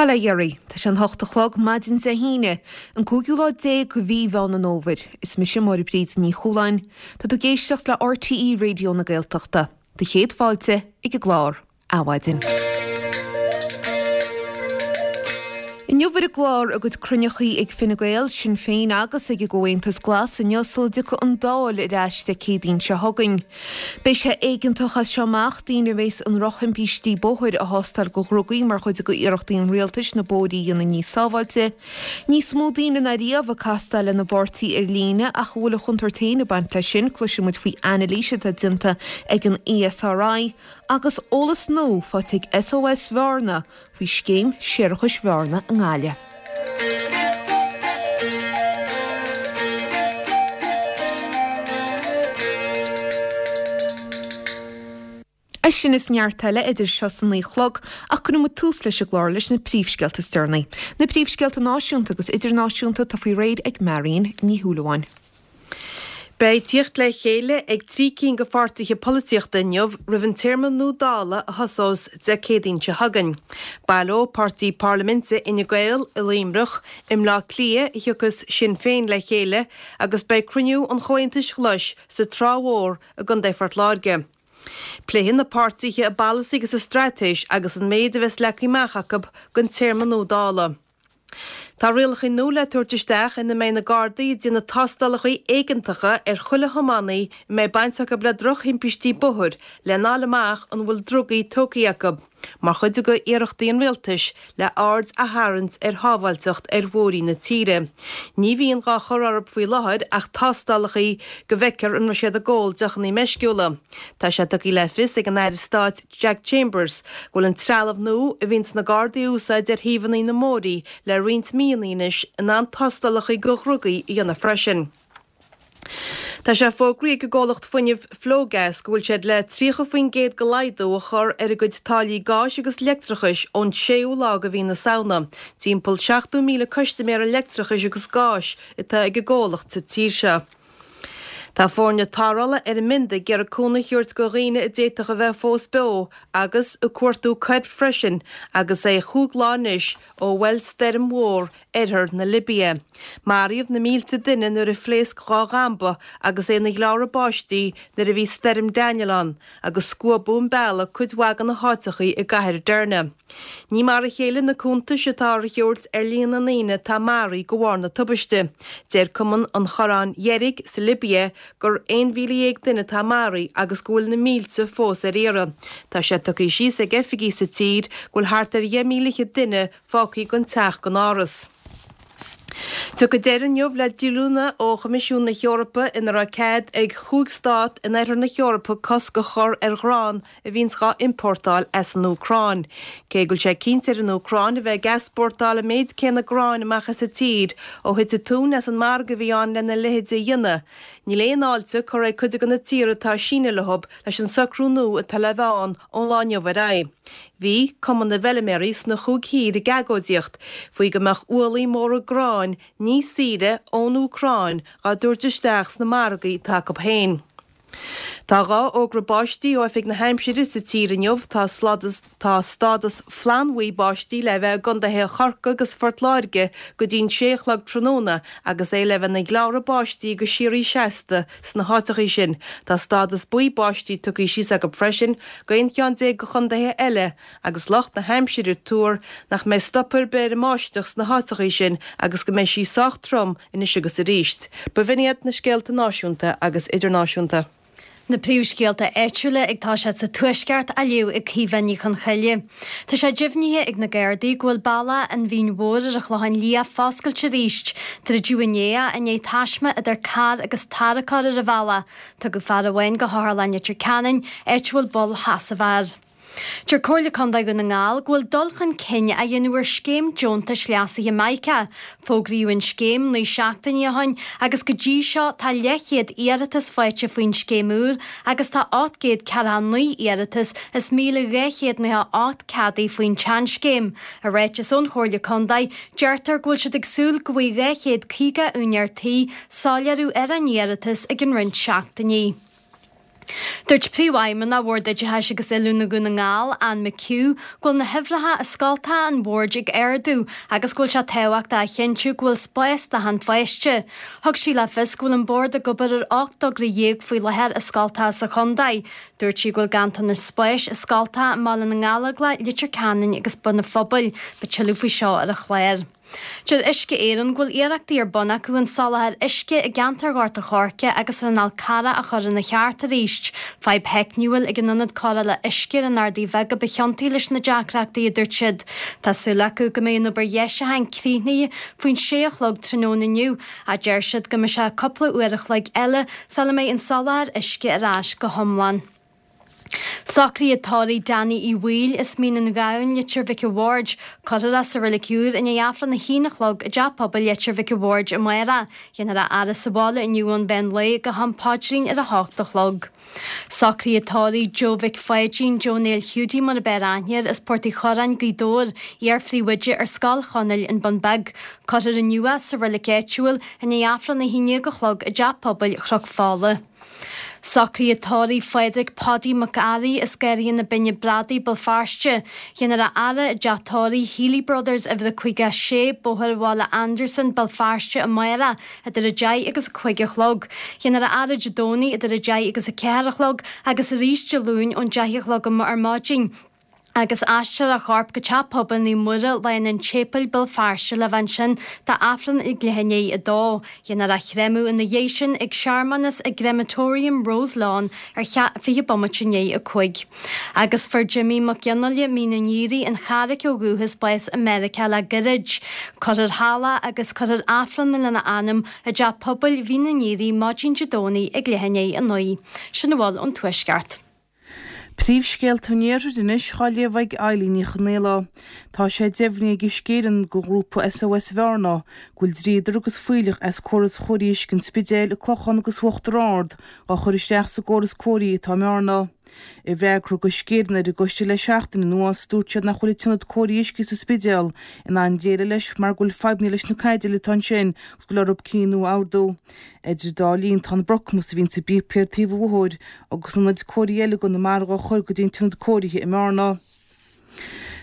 Bail ó Dhia oraibh. Tá sé an hocht a chlog maidin Dé hAoine, an cúigiú lá déag de mhí Mheán an Fhómhair. Is mise Máire Bríd Ní Chualáin. Tá tú ag éisteacht le RTÉ Raidió na Gaeltachta. Do chéad fáilte ag an gclár. Adhmhaidin. Inniu ar an gclár, a gcuid cruinneachaí ag Fine Gael, Sinn Féin agus ag an gComhaontas Glas inniu sula dtiocfaidh an Dáil ar ais Dé Céadaoin seo chugainn. Beidh sé éigeantach as seo amach daoine a bhéas i ndrochthimpistí bóthair a thástáil do dhrugaí mar chuid de iarrachtaí an rialtais na bóithrí a dhéanamh níos sábháilte. Níos mó daoine ná riamh ag castáil lena bpáirtí ar líne ach an bhfuil a chontúirt féin ag baint leis sin, cloisfidh muid faoi anailís atá déanta ag an ESRI agus eolas nua faighte ag SOS Bhearna faoi scéim séarachais Bhearna i nGaillimh. É sin is neart eile idir seo is a 9 a chlog ach cuirfidh muid tús leis an gclár leis na príomhscéalta is deireanaí. Na príomhscéalta náisiúnta agus idirnáisiúnta atá faoi réir ag Marion Ní Shúilleabháin. Beidh tíocht le chéile ag 3 cinn de pháirtithe polaitíochta inniu roimh an téarma nua Dála a thosós Dé Céadaoin seo chugainn. Baileoidh páirtí parlaiminte Fhine Gael i Luimneach, i mBleá Cliath a thiocfas Sinn Féin le chéile agus beidh cruinniú an Chomhaontais Ghlais sa Trá Mhór i gContae Phort Láirge. Pléifidh na páirtithe a bpolasaí agus a straitéis agus an méid a bheas leagtha amach acu don téarma nua Dála. Tá rialacha nua le tabhairt isteach ina mbeidh na Gardaí ag déanamh tástálacha éigeantacha ar chuile thiománaí a mbeidh baint acu le drochthimpistí bóthair lena fháil amach an bhfuil drugaí tógtha acu, mar chuid de iarrachtaí an rialtais le aird a tharraingt ar shábháilteacht ar bhóithrí na tíre. Ní bhíonn dhá chur orthu faoi láthair ach tástálacha go bhfeicfear an raibh siad ag ól deochanna meisciúla. Tá sé tugtha le fios ag an Aire Stáit Jack Chambers, go bhfuil an trealamh nua a bhíonns na Gardaí a úsáid ar thaobhanna na mbóithrí le roinnt míonna anois in ann tástálacha do dhrugaí a dhéanamh freisin. Tá sé fógraithe ag an gcomhlacht fuinnimh Flogas go bhfuil siad le 30% de laghdú a chur ar a gcuid táillí gáis agus leictreachais ón séú lá de mhí na Samhna. Timpeall 70,000 custaiméara leictreachais agus gáis atá ag an gcomhlacht sa tír seo. Tá foirne tarrthála ar an mbind ag iarraidh cúnamh a thabhairt do dhaoine a d'fhéadfadh a bheith fós beo agus ag cuartú coirp freisin agus é chúig lá anois ó bhuail stoirm mhór oirthear na Libia. Maraíodh na mílte duine nuair a phléasc dhá dhamba agus é ina ghleáradh báistí nuair a bhí Stoirm Daniel ann agus scuabadh an bealach cuid mhaith de na háiteachaí i gcathair Derna. Ní mar a chéile na cuntais atá á thabhairt ar líon na ndaoine atá maraithe de bharr na tubaiste. Deir Cumann an Chorráin Dheirg sa Libia gur 11,000 duine atá maraithe agus go bhfuil na mílte fós ar iarraidh. Tá sé tugtha síos ag oifigigh sa tír go bhfuil thart ar 10,000 fhichead duine fágtha gan teach gan áras. Tiocfaidh deireadh inniu le díolúine ó Choimisiún na hEorpa ina raibh cead ag chúig stát in oirthear na hEorpa cosc a chur ar ghrán a bhíonns dhá iompórtáil as an Úcráin. Cé go bhfuil sé cinnte ar an Úcráin a bheith ag easpórtáil an méid céanna gráin amach as an tír ó thit an tóin as an margadh a bhí ann lena leithéid a dhéanamh, níl aon fháilte curtha ag cuid de na tíortha atá ag síneadh leo leis an socrú nua atá le bheith ann ón lá inniu ar aghaidh. Bhí Cumann na bhFeilméaraí sna chúig thír ag agóidíocht faoi go mbeadh ualaí móra gráin níos saoire ón Úcráin dhá dtabhairt isteach sna margaí atá acu féin. Tá dhá fhógra báistí ó Oifig na hAimsire sa tír inniu. Tá tá stádas flannbhuí báistí le bheith i gcontaetha Chorcaí agus Phort Láirge go dtí'n sé a chlog tráthnóna agus é le bheith ina ghleáradh báistí go síoraí seasta sna háiteachaí sin. Tá stádas buí báistí tugtha síos acu freisin go aon cheann déag de chontaetha eile agus lucht na haimsire ag tuar nach mbeidh stop ar bith ar an mbáisteach sna háiteachaí sin agus go mbeidh sí sách trom anois agus arís. B'in iad na scéalta náisiúnta agus idirnáisiúnta. Na príomhscéalta áitiúla ag toiseacht sa Tuaisceart á léamh ag Caoimhe Ní Chonchoille. Tá sé deimhnithe ag na Gardaí go bhfuil bealach an Mhín Mhóir ar an Chlochán Liath foscailte arís. Druideadh inné é i ndiaidh taisme idir carr agus tarracóir ar an bhealach. Tugadh fear amháin go hOtharlann Leitir Ceanainn, áit a bhfuil bail sheasaimh air. Deir Comhairle Contae Dhún na nGall go bhfuil dul chun cinn á dhéanamh ar scéim deontais leasaithe Mica. Fógraíodh an scéim 9 seachtainí ó shin agus go dtí seo tá leathchéad iarratas faighte faoin scéim úr agus tá 849 iarratas is 1,298 ceadaithe faoin tseanscéim. I ráiteas ón Chomhairle Contae, deirtear go bhfuil siad ag súil go bhfaighidh 250 úinéir tí soiléiriú ar a n-iarratas i gcionn roinnt seachtainí. Dúirt Príomhfheidhmeannach Bhord Oideachais agus Oiliúna Dhún na nGall, Anne McHugh, go bhfuil na huimhreacha i scoltacha an bhoird ag ardú agus go bhfuil sé tábhachtach a chinntiú go bhfuil spás d'achan pháiste. Thug sí le fios go bhfuil an Bord ag obair ar 18 dtogra faoi láthair i scoltacha sa chontae. Dúirt sí go bhfuil ganntanas spáis i scoltacha i mBaile na nGallóglach, Leitir Ceanainn agus Bun an Phobail. Beidh tuilleadh faoi seo ar an chlár. Deir Uisce Éireann go bhfuil iarrachtaí ar bun acu an soláthar uisce i gceantar Ghort a' Choirce agus ar an Fhál Carrach a chur ina cheart arís. Fadhb theicniúil ag an ionad cóireála uisce ar an Ardaidh Bheag a ba chiontaí leis na deacrachtaí, a dúirt siad. Tá súil acu go mbeidh an obair dheisiúcháin críochnaithe faoin sé a chlog tráthnóna inniu, ach deir siad go mbeidh sé cúpla uair a chloig eile sula mbeidh an soláthar uisce ar ais go hiomlán. Socruithe tórraimh Danny Uí Bhaoill as Mín an Ghabhann, Leitir Mhic a' Bhaird. Cuirfear é sa Reilig Úr i ndiaidh Aifreann a haon a chlog i dTeach Pobail Leitir Mhic a' Bhaird amárach. Dhéanfar a fhaire sa bhaile inniu ón mheán lae go ham paidrín ar a hocht a chlog. Socruithe tórraimh Joe Mhic Pháidín, Joe Néill Hiúdaí mar a b'fhearr aithne air, as Port Uí Chorráin, Gaoth Dobhair, iar-phríomhoide ar Scoil Chonaill, An Bun Beag. Cuirfear inniu é sa reilig áitiúil i ndiaidh Aifreann a haon déag a chlog i dTeach Pobail Chnoc Fola. Socruithe tórraimh Phádraig Paudie Mac Fhearraigh as Garraidhe na Binne Bradaí, Béal Feirste. Dhéanfar a fhaire i dteach tórraimh Healy Brothers, uimhir a 56, Bóthar Bhaile Andarsan, Béal Feirste amárach idir 10 agus 5 a chlog. Dhéanfar a fhaire Dé Domhnaigh idir 10 agus 4 a chlog agus arís Dé Luain ón 10 a chlog ar maidin. agus aistreofar a chorp go Teach Pobail Naomh Muire, Lána an tSéipéil, Béal Feirste le bheith ansin d'Aifreann ag leath i ndiaidh 2. Dhéanfar a chréamadh ina dhiaidh sin ag searmanas i gCrematorium Roselawn ar 20 bomaite i ndiaidh 5. Agus fuair Jimmy Mac Fhionnghaile, Mín an Aoraigh, an Charraic ó dhúchas, bás i Meiriceá le gairid. Cuirfear thall é agus cuirfear Aifreann lena anam i dTeach Pobail Mhín an Aoraigh maidin Dé Domhnaigh ag leath i ndiaidh 9. Sin a bhfuil ón Tuaisceart. Príomhscéalta an Iarthair anois á léamh ag Eilín Ní Chonaola. Tá sé deimhnithe ag Uisce Éireann do ghrúpa SOS Bhearna go bhfuil dríodar agus fuílleach as córas chóirithe uisce an Spidéil, an Clochán agus Uachtar Ard á chur isteach sa gcóras cóirithe atá i mBearna. I bhfreagra a thug Uisce Éireann ar an gcoiste le seachtain anuas, dúirt siad nach bhfuil an t-ionad cóirithe uisce sa Spidéal in ann déileáil leis mar go bhfuil fadhbanna leis na caidéil atá ansin agus go bhfuil orthu cinn nua a ordú. Idir an dá linn, tá an brocamhas a bhíonn sa bpíopaí ar taobh an bhóthair agus ionaid cóirithe eile i gConamara á chur go dtí an t-ionad cóirithe i mBearna.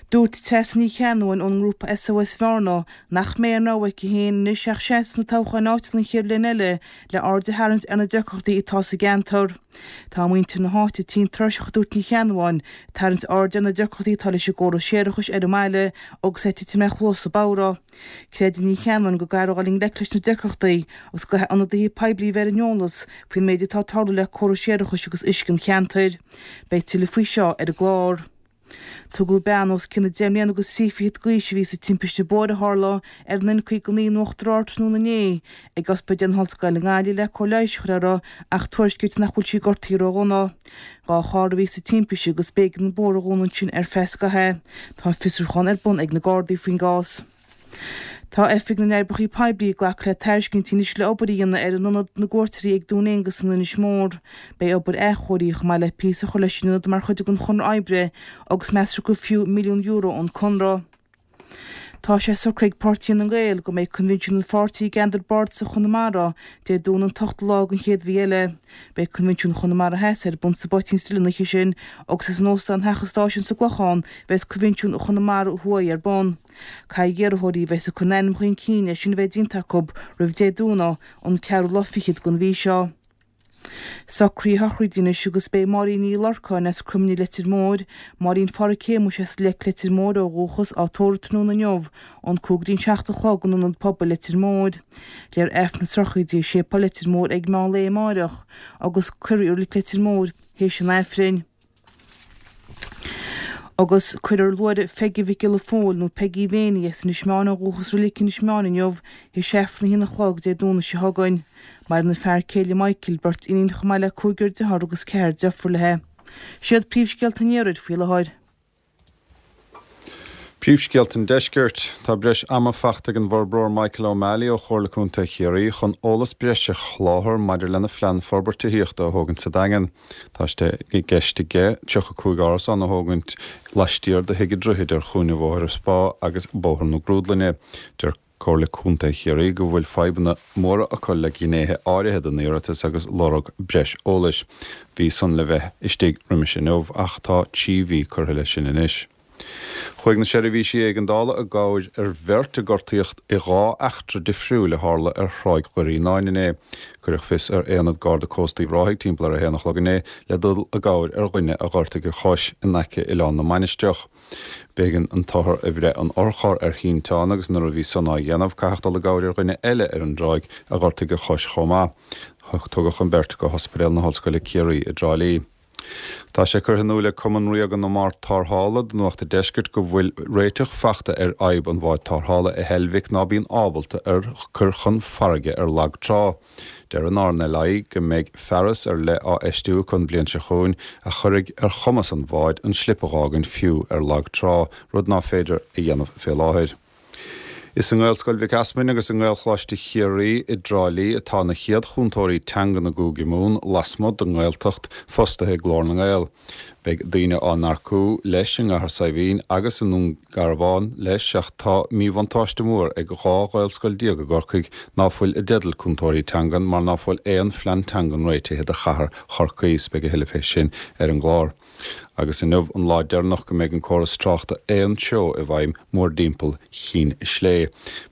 Dúirt Treasa Ní Cheannabháin ón ngrúpa SOS Bhearna nach mbeidh aon rogha aici féin anois ach seasamh sna toghcháin áitiúla an chéad bhliain eile le aird a tharraingt ar na deacrachtaí atá sa gceantar. Tá muintir na háite tinn tuirseach a dúirt Ní Cheannabháin, ag tarraingt airde ar na deacrachtaí atá leis an gcóras séarachais ar an mbaile agus é ag titim ar chluasa bodhra. Creideann Ní Cheannabháin go gcaithfear dul i ngleic leis na deacrachtaí agus go gcaithfidh ionadaithe poiblí bheith ar an eolas faoin méid atá ag tarlú le córas séarachais agus uisce an cheantair. Beidh tuilleadh faoi seo ar an gclár. Tugadh bean os cionn deich mbliana agus thrí fichid d'aois a bhí sa timpiste bóthair a tharla ar an N59 in Uachtar Ard tráthnóna inné ag Ospidéal na hOllscoile i nGaillimh le cóir leighis a chur uirthi ach tuairiscítear nach bhfuil sí gortaithe ródhona. 2 charr a bhí sa timpiste agus b'éigean an bóthar a dhúnadh ansin ar feadh scaithimh. Tá fiosrúchán ar bun ag na Gardaí faoin gcás. Tá Oifig na nOibreacha Poiblí ag glacadh le tairiscintí anois le obair a dhéanamh ar Ionad na gCuairteoirí ag Dún Aonghasa in Inis Mór. Beidh obair athchóirithe chomh maith le píosa a chur leis an ionad mar chuid den chonradh oibre agus meastar gur fiú €1 milliún an conradh. Tá sé socraithe ag Páirtí Fhine Gael go mbeidh coinbhinsiún an pháirtí i gceantar bardasach Chonamara Dé Domhnaigh an t-ochtú lá den chéad mhí eile. Beidh coinbhinsiún Chonamara Theas ar bun sa bPoitín Stil an oíche sin agus is in Óstán Theach an Stáisiúin sa gClochán a bheas coinbhinsiún Chonamara Thuaidh ar bun. Caithfidh iarrthóirí a bheas ag cur a n-ainm chun cinn é sin a bheith déanta acu roimh Dé Domhnaigh, an ceathrú lá fichead den mhí seo. Socruithe sochraide anois agus beidh Máirín Ní Lorcáin as Croimnigh Leitir Móir, Máirín Pháraic Shéamuis as Leic Leitir Móir ó dhúchas, á tórramh tráthnóna inniu ón 5 go dtí an 7 a chlog in Ionad Pobail Leitir Móir. Léifear Aifreann na sochraide i Séipéal Leitir Móir ag meán lae amáireach agus cuirfear í i Reilig Leitir Móir théis an Aifrinn. Agus cuirfear luaithreamh Pheigí Mhic Giolla Phóil, nó Peigí Mhéiní, as Inis Meáin ó dhúchas i Reilig Inis Meáin inniu, théis Aifreann a haon a chlog Dé Domhnaigh seo chugainn. Maireann a fear céile Michael, beirt iníon chomh maith le cúigear dearthár agus ceathrar deirfiúr léi. Siad príomhscéalta an Iarthair faoi láthair. Príomhscéalta an Deiscirt. Tá breis ama fachta ag an bhforbróir Michael O'Malley ó Chomhairle Contae Chiarraí chun eolas breise a sholáthar maidir lena phlean forbairt tithíochta a thógaint sa Daingean. Tá sé i gceist aige 35 árasán a thógaint laistiar de Thigh an Droichid ar chúinne Bhóthar an Spá agus Bóthar na Grúdlainne. Deir. Comhairle Contae Chiarraí go bhfuil fadhbanna móra acu le gnéithe áirithe den iarratas agus lorg breis eolais. Bhí san le bheith istigh roimis inniu ach tá 3 mhí curtha leis sin anois. Chuaigh na seirbhísí éigeandála i gcabhair ar bheirt a gortaíodh i 2 eachtra difriúil a tharla ar Thráigh Dhoire Fhíonáin inné. Cuireadh fios ar Aonad Garda Cósta Uíbh Ráthaigh timpeall ar a haon a chlog inné le dul i gcabhair ar dhuine a ghortaigh a chois in aice Oileán na Mainistreach. B'éigean an t-othar a bhreith ón otharcharr ar shínteán agus nuair a bhí san á dhéanamh caitheadh dul i gcabhair ar dhuine eile ar an dtráigh a ghortaigh a chois chomh maith. Tugadh an bheirt go hOspidéal na hOllscoile Ciarraí i dTrá Lí. Tá sé curtha in iúl ag Cumann Ríoga na mBád Tarrthála do Nuacht an Deiscirt go bhfuil réiteach fachta ar fhadhb an bháid tarrthála i Heilbhic ná bíonn ábalta ar cur chun farraige ar lag trá. Deir an RNLI go mbeidh fearas ar leith á fheistiú acu an bhliain seo chugainn a chuirfidh ar chumas an bháid an slip a dh'fhágaint fiú ar lag trá, rud ná féidir a dhéanamh fé láthair. Is i nGaelscoil Mhic Easmainn agus i nGaelcholáiste Chiarraí i dTrá Lí atá na chéad chúntóirí teangan i gCúige Mumhan lasmuigh den nGaeltacht fostaithe ag Glór na nGael. Beidh daoine á n-earcú leis i gCathair Saidhbhín agus i nDún Garbhán leis ach tá míbhuntáiste mór ag 12 Ghaelscoil i gCorcaigh ná fuil i dteideal cúntóirí teangan mar ná fuil aon phlean teangan réitithe do chathair Chorcaí. 'S beidh a thuilleadh fé sin ar an gclár. Agus inniu an lá deireanach go mbeidh an córas tráchta aon treo i bhfeidhm mórdtimpeall Chinn Slé.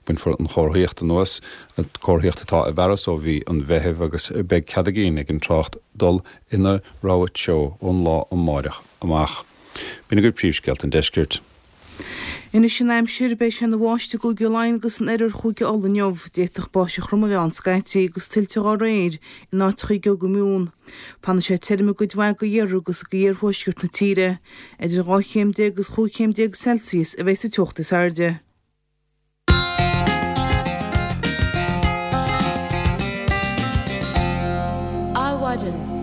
Bainfear an chomharthaíocht anuas, comharthaíocht atá i bhfearas ó mhí an Mheithimh agus beidh cead a gcinn ag an trácht dul ina rogha treo ón lá amáireach amach. B'in agaibh príomhscéalta an deiscirt. Anois an aimsir, beidh sé ina bháisteach i gCúige Laighean agus in oirthear Chúige Uladh inniu. D'fhéadfadh báisteach throm a bheith ann scaití agus tuilte dhá réir in áiteacha i gCúige Mumhan. Fanfaidh sé tirim i gcuid mhaith de iarthar agus de iarthuaisceart na tíre. Idir 12 chéim agus 15 chéim Celsius a bheidh sa teocht is airde. Adhmhaidin.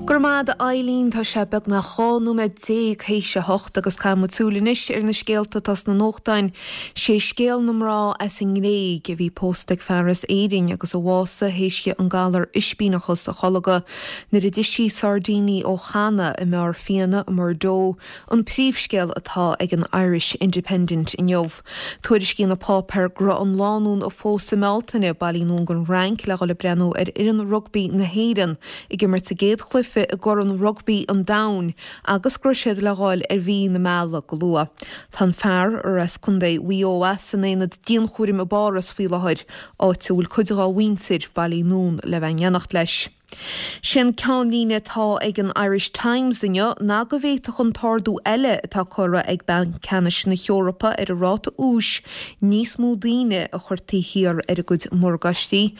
Go raibh maith a'd a Eileen, tá sé beagnach 12 nóiméad théis a hocht agus caithfidh muid súil anois ar na scéalta atá sna nuachtáin. Sé scéal na mná as an nGréig a bhí pósta ag fear as Éirinn agus a bhásaigh théis di an galar ispíneachas a tholgadh nuair a d'ith sí sairdíní ó channa i mbeár fíona i mBordeaux an príomhscéal atá ag an Irish Independent inniu. Tuairiscíonn an páipéar go raibh an lánúin a phós i mBealtaine bailithe anonn gon Fhrainc le dhul ag breathnú ar fhoireann rugbaí na hÉireann ag imirt sa gcéad chluiche i gCorn Rugbaí an Domhain agus go raibh siad le dhul ar mhí na meala go luath. Tá an fear, ar as Contae Mhaigh Eo é, san aonad dianchúraim i bPáras faoi láthair, áit a bhfuil cuid dhá mhuintir bailithe anonn le bheith in éineacht leis. Sé an ceannlíne atá ag an Irish Times inniu ná go bhféadfadh an t-ardú eile atá curtha ag Banc Ceannais na hEorpa ar an ráta úis níos mó daoine a chur taobh thiar ar a gcuid morgáistí.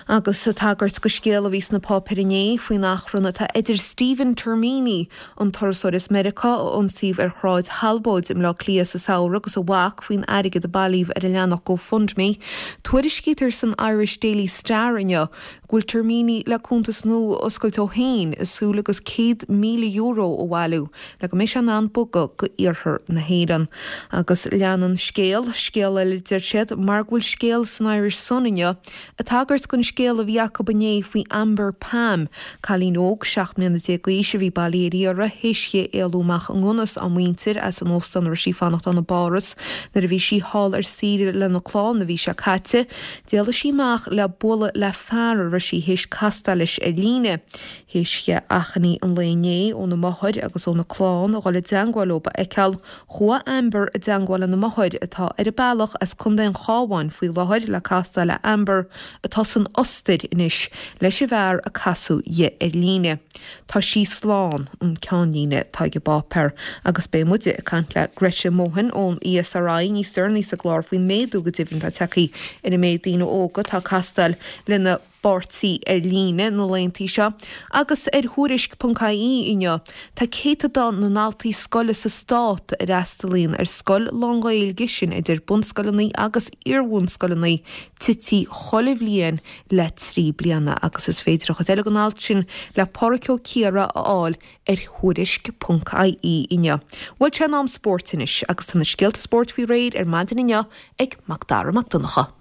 Agus ag tagairt do scéal a bhí sna páipéir inné faoin achrann atá idir Stephen Termini, an turasóir as Meiriceá a ionsaíodh ar Shráid Thalbóid i mBleá Cliath sa samhradh agus a mhac faoin airgead a bailíodh ar a leathanach GoFundMe, tuairiscítear san Irish Daily Star inniu go bhfuil Termini le cuntas nua a oscailt dó féin i súil agus €100,000 a bhailiú le go mbeidh sé in ann bogadh go iarthar na hÉireann. Agus leanann scéal, scéal eile deir siad, mar go bhfuil scéal san Irish Sun inniu ag tagairt don scéal a bhí acu inné faoi Amber Pam, cailín óg 17 mbliana d'aois a bhí bailithe ar iarraidh théis di éalú amach i ngunna 's á muintir as an óstán a raibh sí ag fanacht ann i bPáras nuair a bhí sí thall ar saoire lena clann an mhí seo caite. D'éalaigh sí amach le bualadh le fear a raibh sí théis castáil leis ar líne. Théis di achainí an lae inné óna máthair agus óna clann a dhul i dteangmháil leo a fheiceáil, chuaigh Amber i dteangmháil lena máthair, atá ar a bealach as Contae an Chabháin faoi láthair le castáil le Amber, atá san Ostair anois, leis an bhfear a casadh di ar líne. Tá sí slán, an ceannlíne atá ag an bpáipéar, agus beidh muide ag caint le Greta Mohan ón ESRI níos deireanaí sa gclár faoin méadú go deimhin atá tagtha ar an méid daoine óga atá ag castáil lena bpáirtí ar líne na laethanta seo. Agus ar Thuairisc ponc ie inniu, tá céatadán na ndaltaí scoile sa stát a fhreastalaíonn ar scoil lán-Ghaeilge, sin idir bunscoileanna agus iarbhunscoileanna, tite chuile bhliain le 3 bliana agus is féidir an chuid eile den alt sin le Pádraic Ó Ciardha a fháil ar Thuairisc ponc ie inniu. Bhuel sé in am spóirt anois agus tá na scéalta spóirt faoi réir ar maidin inniu ag Mac Dara Mac Donncha.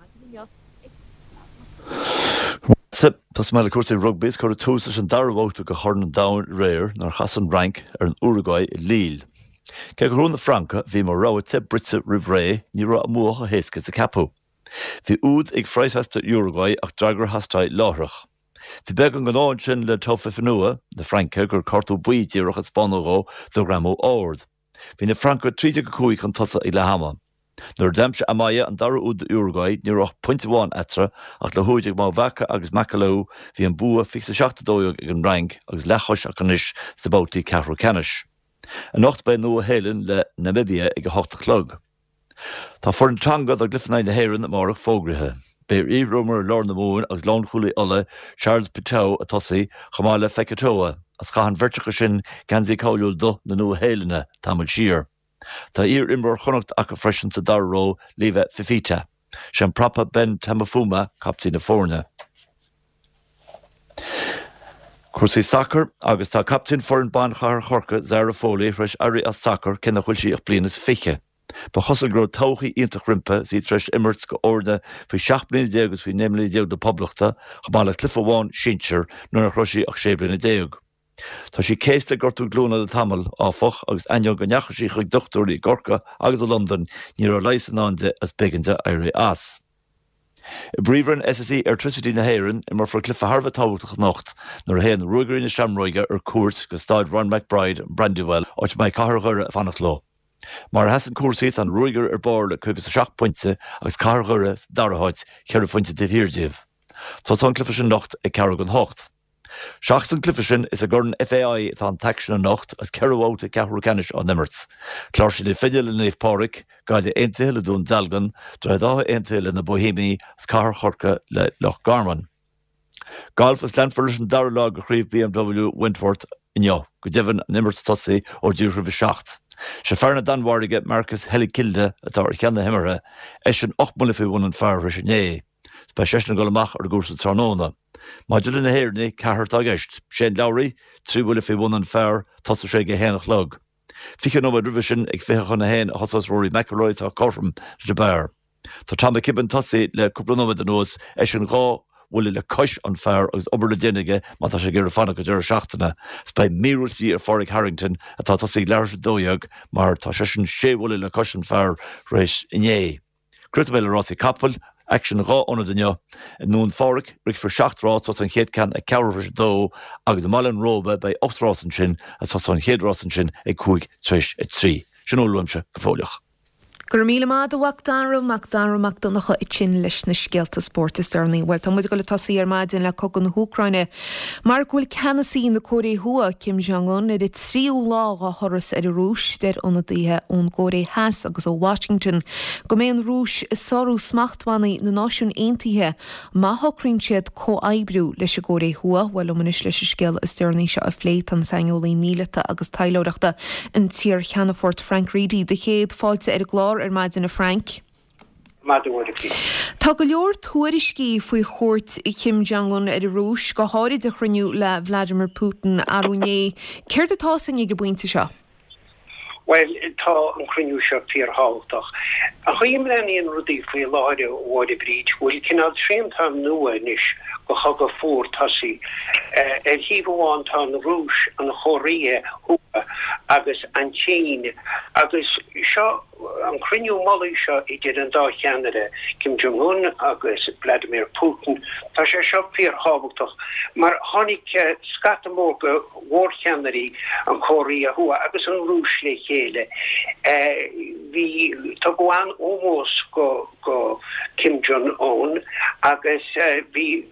Tosóidh mé le cúrsaí rugbaí is cuireadh tús leis an dara babhta de Chorn an Domhain aréir nuair a chas an Fhrainc ar an Uruguay i Lille. Cé gur ghnóthaigh na Francaigh, a bhí mar rogha te bruite roimh ré, ní raibh a mbua chomh héasca is a ceapadh. Bhí úd ag Freitas d'Uruguay ach d'fhreagra a theastaigh láithreach. Bhí beagán den ádh ansin le Taofifenua na Fraince gur cárta buí díreach a spáineadh dhó do ghreamú ard. Bhí na Francaigh 13-5 chun tosaigh ag leath ama. Nuair a d'aimsigh Amaya an dara úd d'Uruguay ní raibh ach pointe amháin eatarthu ach le húid ag Mauvaka agus Macalou bhí an bua 27-12 ag an bhFrainc agus leathchois acu anois sna babhtaí ceathrú ceannais. Anocht beidh an Nua-Shéalainn le Namibia ag a hocht a chlog. Tá foireann Tonga don gcluiche in aghaidh na hÉireann amárach fógraithe. Beidh iarimreoir lár na Mumhan agus lánchúlaí Uladh, Charles Piutau ag tosaí, chomh maith le Fekitoa, agus chaith an bheirt acu sin geansaí cáiliúil dubh na Nua-Shéalainne tamall siar. Tá iar-imreoir Chonnacht acu freisin sa dara ró, Leva Fifita. Sé an prapa Ben Tameifuna captaen na foirne. Cúrsaí sacair agus tá captaen foireann ban Chathair Chorcaí, Zara Foley, tar éis éirí as sacar cé nach bhfuil sí ach bliain is fiche. Ba chosúil go raibh todhchaí iontach roimpi is í tar éis imirt do fhoirne faoi 17 mbliana agus faoi 19 mbliana na Poblachta, chomh maith le cluiche amháin sinsir nuair nach raibh sí ach 16 bliana. Tá sí céasta ag gortú glúine le tamall, áfach, agus ainneoin go ndeachaigh sí chuig dochtúirí i gCorcaigh agus i Londain, ní raibh leigheas i ndán di agus b'éigean di éirí as. I bPríomhroinn SSE Airtricity na hÉireann, imreofar cluiche thar a bheith tábhachtach anocht nuair a théann Ruagairí na Seamróige ar cuairt go Staid Ron McBride, Brandywell, áit a mbeidh Cathair Dhoire ag fanacht leo. Mar a sheasann cúrsaí, tá na Ruagairí ar barr le 57 pointe agus Cathair Dhoire sa dara háit, ceithre phointe taobh thiar díobh. Tosóidh an cluiche sin anocht ag ceathrú don hocht. Seachas an cluiche sin, is i gCorn FAI atá an t-aicsean anocht agus ceithre bhabhta ceathrú ceannais á n-imirt. Cláirsigh na Finne le Naomh Pádraig, Gaillimh Aontaithe le Dún Dealgan, Droichead Átha Aontaithe le na Boihéamaigh agus Cathair Chorcaí le Loch Garman. Galf agus leanfar leis an dara lá de Chraobh BMW Wentworth inniu, go deimhin an imirt tosaithe ó díreach roimh a 7. Sé fear na Danmhairge, Marcus Helligkilde, atá ar cheann na himeartha, eisean 8 mbuille faoi bhun an phar tar éis inné. Is beidh seisean ag dul amach ar an gcúrsa tráthnóna. Maidir le na hÉireannaigh, ceathrar atá i gceist. Shane Lowry, 3 bhuille faoi bhun an phar, tosóidh sé ag a haon a chlog. 20 nóiméad roimhe sin, ag 20 chun a haon, a thosós Rory McIlroy, atá cothrom leis an bpar. Tá Tom McKibbin tosaithe le cúpla nóiméad anuas, eisean dhá bhuille le cois an phar agus obair le déanamh aige má tá sé ag iarraidh fanacht go deireadh seachtaine. Is beidh míorúilt de dhíth ar Phádraig Harrington, atá tosaithe ag leathuair tar éis a 12, mar tá seisean sé bhuille le cois an phar tar éis inné. Críochnóidh mé le rásaí capaill, aicsean in dhá ionad inniu. I nDún Phádraig, rithfear seacht rás, tosóidh an chéad ceann ag ceathrú tar éis a dó agus i mBaile an Róba beidh ocht rás ansin agus tosóidh an chéad rás ansin ag cúig tar éis a trí. Sin a bhfuil uaimse go fóilleach. Go raibh míle maith agat a Mhac Dara, Mac Dara Mac Donncha ansin leis na scéalta spóirt is deireanaí. Bhuel, tá muid ag dul ag tosaí ar maidin le cogadh na hÚcráine mar go bhfuil ceannasaí na Cóiré Thuaidh, Kim Jong Un, ar an tríú lá dá thuras ar an Rúis. Deir ionadaithe ón gCóiré Theas agus ó Washington go mbeidh an Rúis ag sárú smachtbhannaí na Náisiún Aontaithe má shocraíonn siad comhoibriú leis an gCóiré Thuaidh. Bhuel, liom anois leis an scéal is deireanaí seo a phlé tá an saineolaí míleata agus taidhleoireachta, an t-iarcheannfort Frank Reidy. Do chéad fáilte ar an gclár ar maidin a Frank. Maidin mhaith a Bhríd. Tá go leor tuairiscí faoi chuairt Kim Jong Un ar an Rúis, go háirid a chruinniú le Vladimir Putin arú inné. Céard atá 'fhios againn ag an bpointe seo? Bhuel, tá an cruinniú seo fíorthábhachtach. An chaoi a mbreathnaíonn rudaí faoi láthair, a Mháire Bhríd, go bhfuil cineál srianta nua anois de chogadh fuar tosaithe. Ar thaobh amháin tá an Rúis, an Chóiré Thuaidh agus an tSín agus seo An cruinniú mullaigh seo idir an dá cheannaire, Kim Jong Un agus Vladimir Putin, tá sé seo fíorthábhachtach mar tháinig scata mór de mhórcheannairí an Chóiré Thuaidh agus an Rúis le chéile. Bhí, tugadh an-ómós go Kim Jong Un agus bhí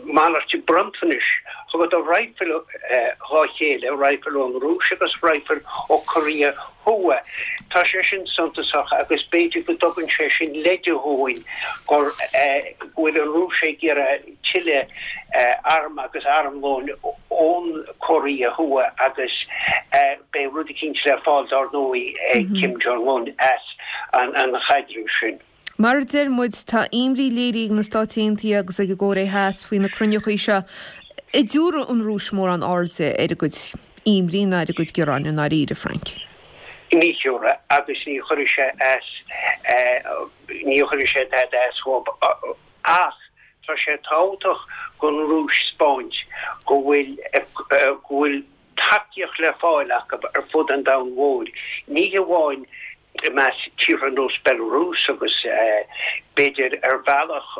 malairt bronntanais, thugadar raidhfil dhá chéile, raidhfil ón Rúis agus raidhfil ó Korea Thuaidh. Tá sé sin suntasach agus b'fhéidir go dtugann sé sin leide dhúinn gur go bhfuil an Rúis ag iarraidh tuilleadh arm agus armlóin ón Korea Thuaidh agus beidh rud eicínt le fáil dár ndóigh ag Kim Jong Un as an chaidreamh sin. Mar a deir muid, tá imní léirithe ag na Stáit Aontaithe agus ag an gCóiré Theas faoi na cruinneachaí seo. An dtabharfaidh an Rúis mórán airde ar a gcuid imní ná ar a gcuid gearáin i ndáiríre, Frank? Ní thiúrfaidh, agus ní chuirfidh sé as, ní chuirfidh sé tada as dhóibh. Ach tá sé tábhachtach don Rúis 'spáint go bhfuil, go bhfuil. tacaíocht le fáil acu ar fud an domhain mhóir, ní hamháin i measc tíortha ar nós Belarus agus b'fhéidir ar bhealach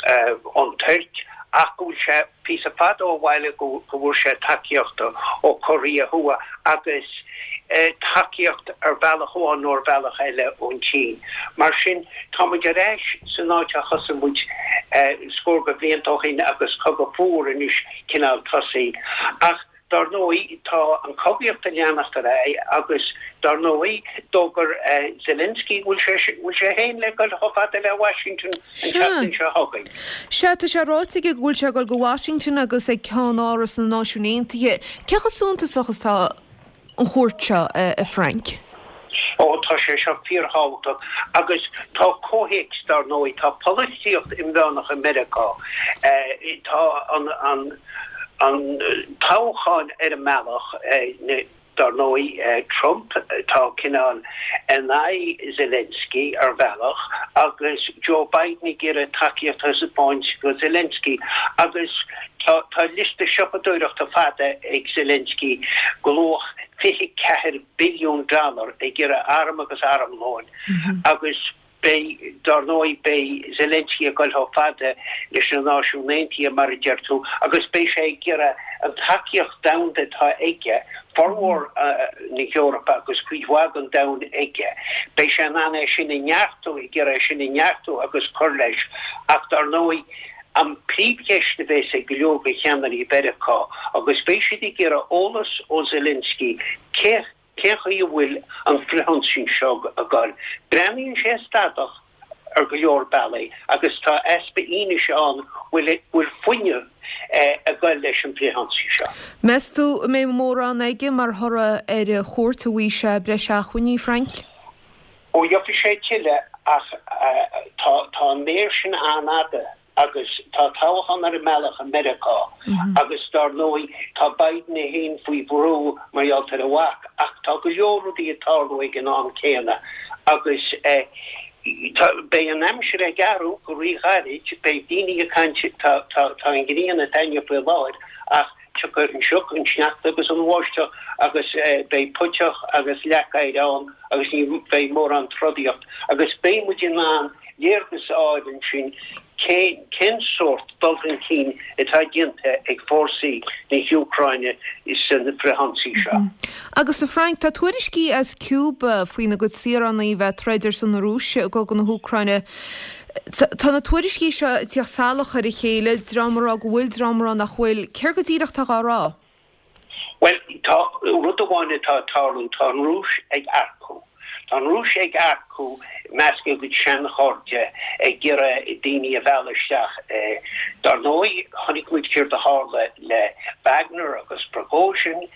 an Tuirc ach go bhfuil sé píosa fada ó bhaile go bhfuair sé tacaíocht ó Korea Thuaidh agus tacaíocht ar bhealach amháin nó ar bhealach eile ón tSín. Mar sin tá muid ar ais san áit a thosaigh muid scór de bhlianta ó shin agus cogadh fuar anois cineál tosaithe. Ach Dar ndóigh, tá an chogaíocht ag leanacht ar aghaidh agus, dar ndóigh, d'fhógair Zelensky go bhfuil sé bhfuil sé féin le dul chomh fada le Washington an tseachtain seo chugainn. Sea, tá sé ráite aige go bhfuil sé ag dul go Washington agus ag Ceann-Áras na Náisiún Aontaithe. Cé chomh suntasach is atá an chuairt seo, a Frank? Ó, tá sé seo fíorthábhachtach agus tá comhthéacs, dar ndóigh, tá polaitíocht inmheánach i Meiriceá, tá an, an, an toghchán ar an mbealach, dar ndóigh, Trump, tá cineál in aghaidh Zelensky ar bhealach agus Joe Biden ag iarraidh tacaíocht a thaispeáint do Zelensky agus tá, tá liosta siopadóireachta fada ag Zelensky de luach 24 billiún dollar ag iarraidh arm agus armlóin agus beidh, dár ndóigh, beidh Zelensky ag dul chomh fada leis na Náisiúin Aontaithe, mar a deir tú, agus beidh sé ag iarraidh an tacaíocht domhanda atá aige, formhór na hEorpa agus cuid mhaith den domhan aige, beidh sé in ann é sin a neartú, ag iarraidh é sin a neartú agus cur leis. Ach dár ndóigh, an príomhcheist a bheas ag go leor de cheannairí Mheiriceá, agus beidh siad ag iarraidh eolas ó Zelensky, cé cén chaoi a bhfuil an frithionsaí seo ag dul. Breathnaíonn sé stadach ar go leor bealaí agus tá easpa fhianaise ann bhfuil bhfuil fuinneamh ag dul leis an bhfrithionsaí seo. Meas tú an mbeidh mórán aige mar thoradh ar a chuairt an bhfaighidh sé breis acmhainní, Frank? Ó gheobhaidh sé tuilleadh ach tá tá an méar sin an-fhada agus tá toghchán ar an mbealach i Meiriceá agus dar ndóigh tá Biden é féin faoi bhrú mar gheall ar a mhac ach tá go leor rudaí ag tarlú ag an am céanna agus tá beidh an aimsir ag athrú go ríghairid, beidh daoine ag caint tá tá tá an ghrian ag taitneamh faoi láthair ach Tiocfaidh an sioc, an sneachta agus an bháisteach agus beidh puiteach agus leac oighir ann agus ní bheidh mórán trodaíocht agus beidh muid in ann léargas a fháil ansin cén cén sórt dul chun cinn atá déanta ag fórsaí na hÚcráine san frithionsaí seo. Agus a Frank, tá tuairiscí as Cuba faoina gcuid saoránaigh a bheith ag troid ar son na Rúise i gcogadh na hÚcráine. Tá na tuairiscí seo ag tíocht salach ar a chéile, dream ag rá go bhfuil, dream ag rá nach bhfuil. Céard go díreach atá dhá rá? Bhuel, tá rud amháin atá ag tarlú, tá an Rúis ag earcú. Tá an Rúis ag earcú i measc a gcuid seanchairde, ag iarraidh daoine a mhealladh isteach. Dar ndóigh, chonaic muid céard a tharla le Wagner agus Prigozhin.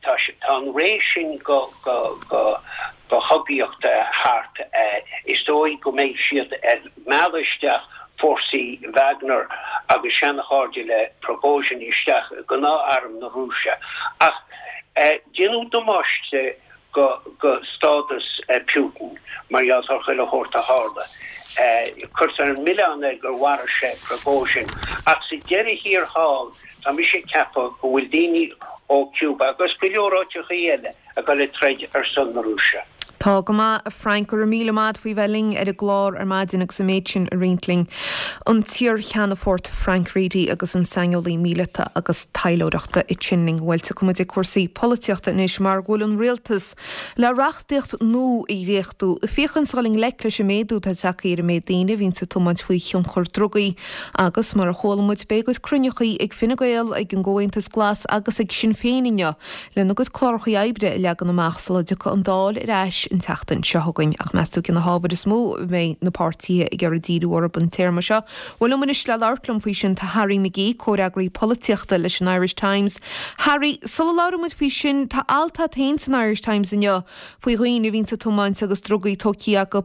Tá an ré sin go, go, go. go chogaíocht thart. Is dóigh go mbeidh siad ag mealladh isteach fórsaí Wagner agus seanchairde le Prigozhin isteach i ngnáth-arm na Rúise. Ach déanadh damáiste go go stádas Putin mar gheall ar chuile shórt a tharla. Cuirtear an milleán air gur mharaigh sé Prigozhin. Ach sa deireadh thiar thall, tá mise ag ceapadh go bhfuil daoine ó Cuba agus go leor áiteachaí eile, ag dul ag troid ar son na Rúise. Tá go maith, a Frank. Go raibh míle maith agat faoi bheith linn ar an gclár ar maidin agus an méid sin a roinnt linn. An t-iar-cheannfort Frank Reidy agus an saineolaí míleata agus taidhleoireachta ansin linn. Bhuel, tiocfaidh muid ag cúrsaí polaitíochta anois mar go bhfuil an rialtas le reachtaíocht nua a dhréachtú ag féachaint a dhul i ngleic leis an méadú atá tagtha ar an méid daoine a bhíonns ag tiomáint faoi thionchar drugaí agus mar a chuala muid beidh a gcuid cruinneachaí ag Fine Gael, ag an gComhaontas Glas agus ag Sinn Féin inniu. lena gcuid clárachaí oibre a leagan amach sula dtiocfaidh an Dáil ar ais an tseachtain seo chugainn. Ach meas tú cé na hábhair is mó a mbeidh na páirtithe ag iarraidh díriú orthu an téarma seo? Bhuel, liom anois le labhairt liom faoi sin tá Harry McGee, comhfhreagraí polaitíochta leis an Irish Times. Harry, sula labhraíonn muid faoi sin, tá alt agat féin san Irish Times inniu faoi dhaoine a bhíonns ag tiomáint agus drugaí tógtha acu.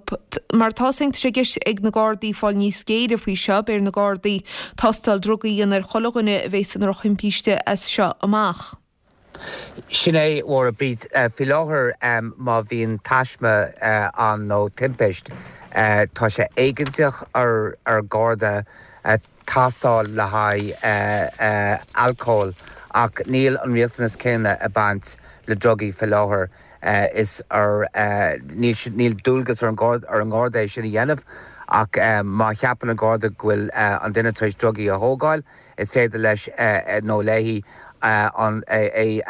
Mar atá 's againn, tá sé i gceist ag na Gardaí fáil níos géire faoi seo, beidh ar na Gardaí tástáil drugaí a dhéanamh ar chuile dhuine a bheas i ndrochthimpiste as seo amach. Sin é, a Mháire Bríd. Faoi láthair, má bhíonn taisme ann nó timpist, tá sé éigeantach ar Gharda tástáil le haghaidh alcóil. Ach níl an riachtanas céanna ag baint le drugaí faoi láthair. Is ar, níl, níl dualgas ar an ar an nGarda é sin a dhéanamh ach má cheapann an Garda go bhfuil an duine tar éis drugaí a thógáil, is féidir leis nó léi an é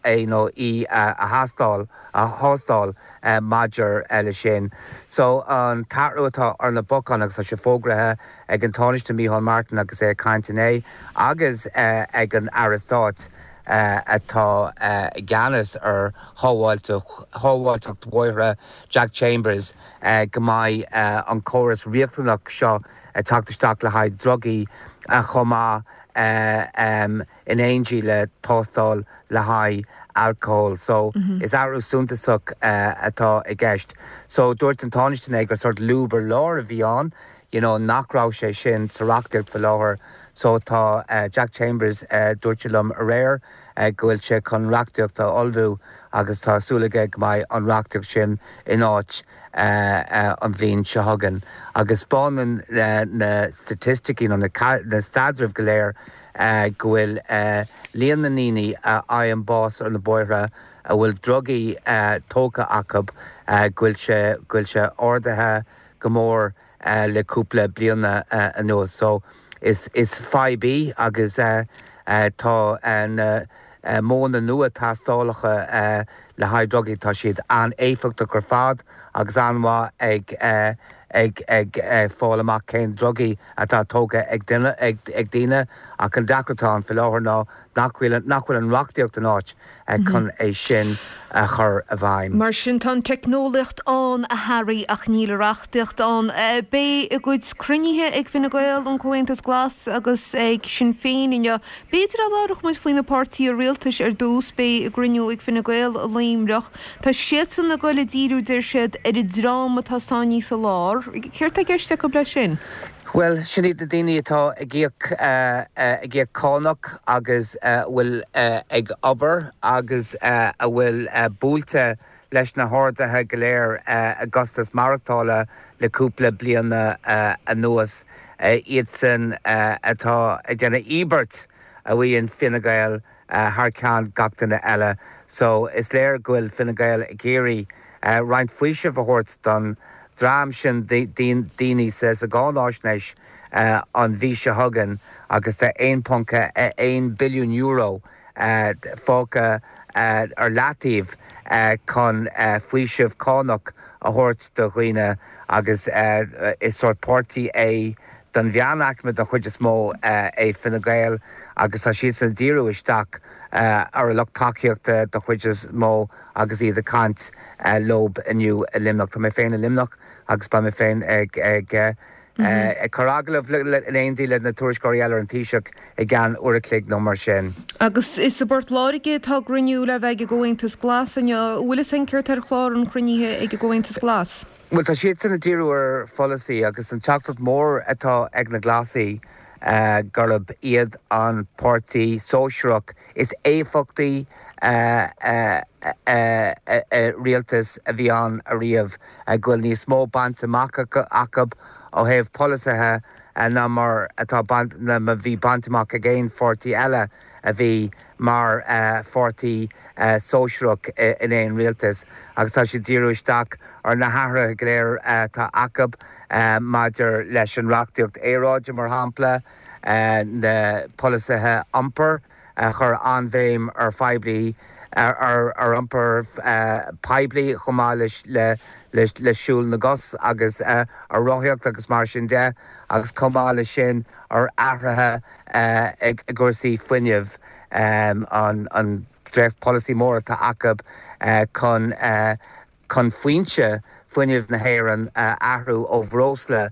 é nó í a thástáil a thástáil maidir leis sin. So an t-athrú atá ar na bacáin agus tá sé fógraithe ag an Tánaiste Micheál Martin agus é ag caint inné agus ag an Aire Stáit atá i gceannas ar shábháilteacht bhóithre, Jack Chambers, go mbeidh an córas riachtanach seo ag teacht isteach le haghaidh drugaí chomh maith in éindí le tástáil le haghaidh alcóil. So is athrú suntasach atá i gceist. So dúirt an Tánaiste inné gur sórt lúb ar lár a bhí ann, you know nach raibh sé sin sa reachtaíocht faoi láthair. So tá Jack Chambers, dúirt sé liom aréir go bhfuil sé chun reachtaíocht a ullmhú agus tá súil aige go mbeidh an reachtaíocht sin in áit an bhliain seo chugainn. Agus 'spáineann na staitisticí nó na staidrimh go léir go bhfuil líon na ndaoine a fhaigheann bás ar na bóithre a bhfuil drugaí tógtha acu, go bhfuil sé, go bhfuil sé ardaithe go mór le cúpla bliana anuas. So is fadhb í agus tá na modhanna nua tástálacha le haghaidh drugaí, tá siad an-éifeachtach ar fad agus an-mhaith ag ag ag fáil amach cén drugaí atá tógtha ag duine ag daoine ach an deacracht atá ann faoi láthair ná nach bhfuil nach bhfuil an reachtaíocht in áit chun é sin a chur i bhfeidhm. Mar sin, tá an teicneolaíocht ann, a Harry, ach níl an reachtaíocht ann. Beidh a gcuid cruinnithe ag Fine Gael, an Comhaontas Glas agus ag Sinn Féin inniu. B'fhéidir dá labhródh muid faoi na páirtithe rialtais ar dtús. Beidh a gcruinniú ag Fine Gael i Luimneach. Tá siadsan ag goil ag díriú, deir siad, ar an dream atá sáinnithe sa lár. Céard tá i gceist acu leis sin? Bhuel, sin iad na daoine atá ag íoc, ag íoc cánach agus a bhfuil ag obair agus a bhfuil buailte leis na harduithe go léir i gcostas maireachtála le cúpla bliain anuas. Iadsan atá ag déanamh íobairt, a mhaíonn Fine Gael, thar ceann gach duine eile. So, is léir go bhfuil Fine Gael ag iarraidh roinnt faoisimh a thabhairt don dream sin daoine sa gcáináisnéis an mhí seo chugainn agus tá €1.1 billiún fágtha ar leataobh chun faoiseamh cánach a thabhairt do dhaoine agus is sórt páirtí é don mheánaicme den chuid is mó é Fine Gael agus tá siadsan ag díriú isteach ar a lucht tacaíochta den chuid is mó agus iad ag caint leob inniu i Luimneach. Tá mé féin i Luimneach agus beidh mé féin ag ag ag cur agallamh in éindí le na tuairisceoirí eile ar an Taoiseach i gceann uair a chloig nó mar sin. Agus is i bPort Láirge atá a gcruinniú le bheith ag an gComhaontas Glas inniu. An bhfuil fhios againn céard tá ar chlár an chruinnithe ag an gComhaontas Glas? Bhuel, tá siadsan ag díriú ar pholasaí agus an teachtaireacht mór atá ag na Glasaí gurb iad an páirtí sóisearach is éifeachtaí i rialtas a bhí ann ariamh, go bhfuil níos mó bainte amach acu ó thaobh polasaithe ná mar atá ná mar bhí bainte amach ag aon pháirtí eile a bhí mar pháirtí sóisearach in aon rialtas agus tá siad ag díriú isteach ar na hathruithe go léir atá acu maidir leis an reachtaíocht aeráide, mar shampla, na polasaithe iompair a chuir an-bhéim ar phoiblí, ar iompar poiblí chomh maith le siúl na gcos agus ar rothaíocht agus mar sin de agus chomh maith leis sin ar athruithe i gcúrsaí fuinnimh, an dréacht-pholasaí mór atá acu chun chun foinse fuinnimh na hÉireann a athrú ó bhreosla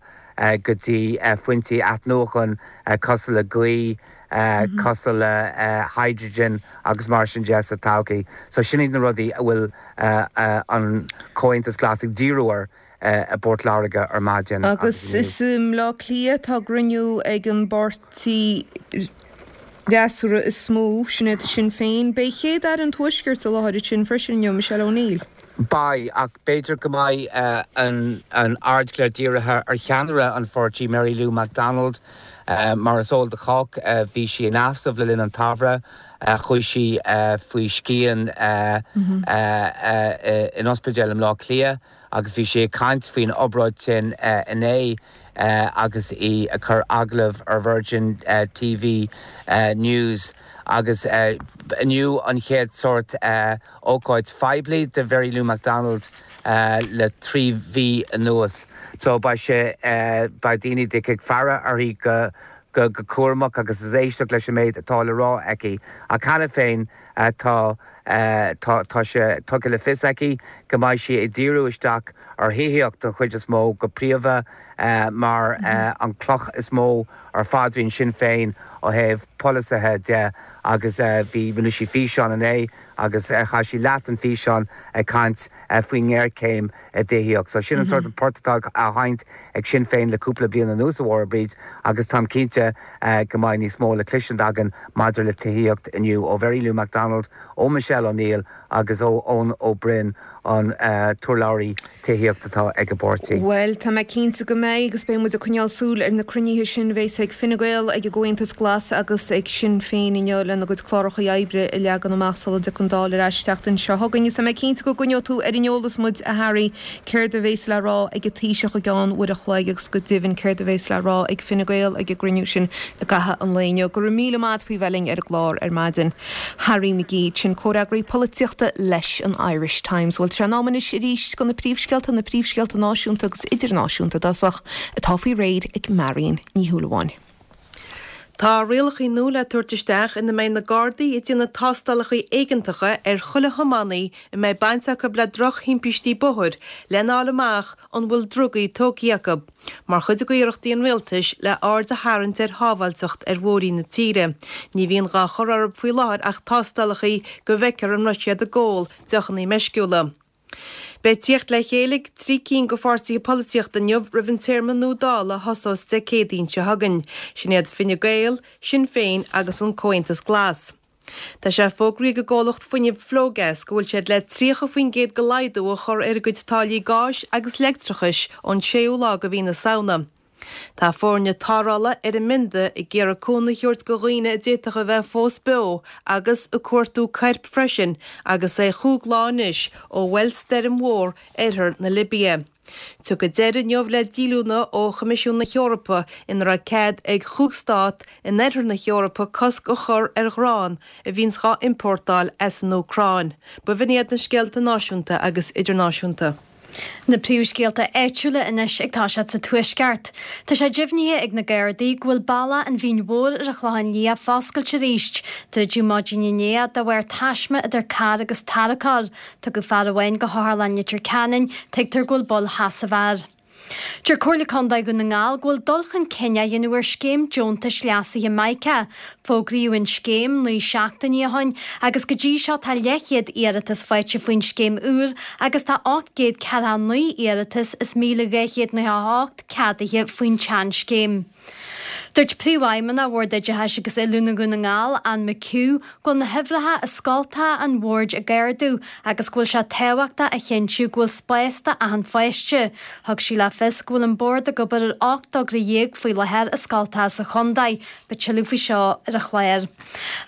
go dtí foinsí athnuachan cosúil le gaoth, cosúil le hydrogen agus mar sin de sa todhchaí. So sin iad na rudaí a bhfuil an Comhaontas Glas ag díriú air. i bPort Láirge ar maidin agus inniu. Agus is i mBleá Cliath atá a gcruinniú ag an bpáirtí freasúra is mó, sin iad Sinn Féin. Beidh Chéad-Aire an Tuaiscirt i láthair ansin freisin inniu, Michelle O'Neill. Beidh, ach b'fhéidir go mbeidh an aird go léir dírithe ar cheannaire an pháirtí, Mary Lou McDonald. Mar is eol do chách, bhí sí in easnamh le linn an tsamhraidh. Chuaigh sí faoi scian in ospidéal i mBleá Cliath agus bhí sí ag caint faoin obráid sin inné agus í ag cur agallamh ar Virgin TV News agus inniu an chéad sórt ócáid phoiblí do Mhary Lou McDonald le 3 mhí anuas. So beidh sé, beidh daoine ag faire uirthi go go cúramach agus ag éisteacht leis an méid atá le rá aici. Ach cheana féin tá tá tá sé tugtha le fios aici go mbeidh sí ag díriú isteach ar thithíocht den chuid is mó, go príomha mar an cloch is mó ar phaidrín Sinn Féin ó thaobh polasaithe de agus bhí rinne sí físeán inné agus chaith sí leath den físeán ag caint faoin ngéarchéim i dtithíocht. So sin an sórt an port atá á sheinnt ag Sinn Féin le cúpla bliain anuas, a Mháire Bríd, agus táim cinnte go mbeidh níos mó le cloisint againn maidir le tithíocht inniu ó Mhary Lou McDonald, ó Michelle O'Neill agus ó Eoin Ó Broin, an t-urlabhraí tithíochta atá ag an bpáirtí. Bhuel, tá mé cinnte go mbeidh agus beidh muid ag coinneáil súil ar na cruinnithe sin a bheas ag Fine Gael, ag an gComhaontas Glas agus ag Sinn Féin inniu lena gcuid cláracha oibre a leagan amach sula dtiocfaidh an Dáil ar ais an tseachtain seo chugainn. Is tá mé cinnte go gcoinneoidh tú ar an eolas muid, a Harry, céard a bheas le rá ag an Taoiseach i gceann uair a chloig agus go deimhin céard a bheas le rá ag Fine Gael ag an gcruinniú sin i gcaitheamh an lae inniu. Go raibh míle maith a't faoi bheith linn ar an gclár ar maidin. Harry McGee, sin comhfhreagraí polaitíochta leis an Irish Times. Bhuel, tá sé in am anois arís do na príomhscéalta, na príomhscéalta náisiúnta agus idirnáisiúnta i dtosach, atá faoi réir ag Marion Ní Shúilleabháin. Tá rialacha nua le tabhairt isteach ina mbeidh na Gardaí ag déanamh tástálacha éigeantacha ar chuile thiománaí a mbeidh baint acu le drochthimpistí bóthair lena fháil amach an bhfuil drugaí tógtha acu, mar chuid d'iarrachtaí an rialtais le aird a tharraingt ar shábháilteacht ar bhóithrí na tíre. Ní bhíonn dhá chur orthu faoi láthair ach tástálacha go bhfeicfear an raibh siad ag ól deochanna meisciúla. Beidh tíocht le chéile ag 3 cinn de pháirtithe polaitíochta inniu roimh an téarma nua Dála a thosós Dé Céadaoin seo chugainn. Sin iad Fine Gael, Sinn Féin agus an Comhaontas Glas. Tá sé fógraithe ag an gcomhlacht fuinnimh Flogas go bhfuil siad le 30% de laghdú a chur ar a gcuid táillí gáis agus leictreachais ón séú lá de mhí na Samhna. Tá foirne tarrthála ar an mbionda ag iarraidh cúnamh a thabhairt do dhaoine a d'fhéadfadh a bheith fós beo agus ag cuartú coirp freisin agus é chúig lá anois ó bhuail stoirm mhór oirthear na Libia. Tiocfaidh deireadh inniu le díolúine ó Choimisiún na hEorpa ina raibh cead ag chúig stát in oirthear na hEorpa cosc a chur ar ghrán a bhíonns dhá iompórtáil as an Úcráin. B'in iad na scéalta náisiúnta agus idirnáisiúnta. Na príomhscéalta áitiúla anois ag toiseacht sa Tuaisceart. Tá sé deimhnithe ag na Gardaí go bhfuil bealach an Mhín Mhóir ar an Chlochán Liath foscailte arís. Druideadh maidin inné de bharr taisme idir carr agus tarracóir. Tugadh fear amháin go hOtharlann Leitir Ceanainn, tuigtear go bhfuil bail sheasaimh air. Deir Comhairle Contae Dhún na nGall go bhfuil dul chun cinn á dhéanamh ar scéim deontais leasaithe Mica. Fógraíodh an scéim 9 seachtainí ó shin agus go dtí seo tá leathchéad iarratas faighte faoin scéim úr agus tá 849 iarratas is 1,298 ceadaithe faoin tseanscéim. Dúirt Príomhfheidhmeannach Bhord Oideachais agus Oiliúna Dhún na nGall, Anne McHugh, go bhfuil na huimhreacha i scoltacha an bhoird ag ardú agus go bhfuil sé tábhachtach a chinntiú go bhfuil spás do achan pháiste. Thug sí le fios go bhfuil an bord ag obair ar 18 togra faoi láthair i scoltacha sa chontae. Beidh tuilleadh faoi seo ar an chlár.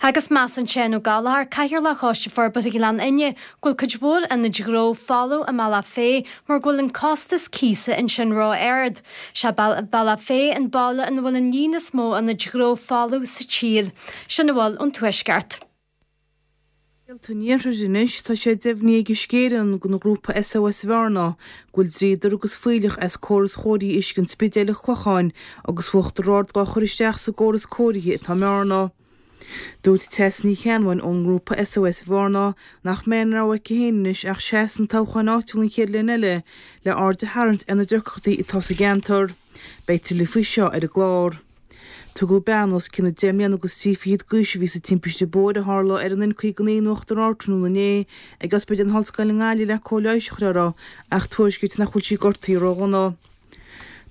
Agus measann Seán Ó Gallchóir, Cathaoirleach Choiste Forbartha Ghleann Fhinne, go bhfuil cuid mhór ionaid ghnó folamh i mBealach Féich mar go bhfuil an costas cíosa ansin ró-ard. Sé Bealach Féich an baile ina bhfuil an líon is mó ionaid ghnó folamh sa tír. Sin a bhfuil ón Tuaisceart. Scéalta an Iarthair anois, tá sé deimhnithe ag Uisce Éireann don ghrúpa SOS Bhearna go bhfuil dríodar agus fuílleach as córas chóirithe uisce an Spidéil an Chlocháin agus uachtar ard dhá chur isteach sa gcóras cóirithe atá i mBearna. Dúirt Treasa Ní Cheannabháin ón ngrúpa SOS Bhearna nach mbeidh aon rogha aici féin anois ach seasamh sna toghcháin áitiúla an chéad bhliain eile le aird a tharraingt ar na deacrachtaí atá sa gceantar. Beidh tuilleadh faoi seo ar an gclár. Tugadh bean os cionn 10 mbliana agus 23 fichead d'aois a bhí sa timpiste bóthair a tharla ar an N59 in Uachtar Ard tráthnóna inné ag Ospidéal na hOllscoile i nGaillimh le cóir leighis a chur uirthi ach tuairiscítear nach bhfuil sí gortaithe ródhona.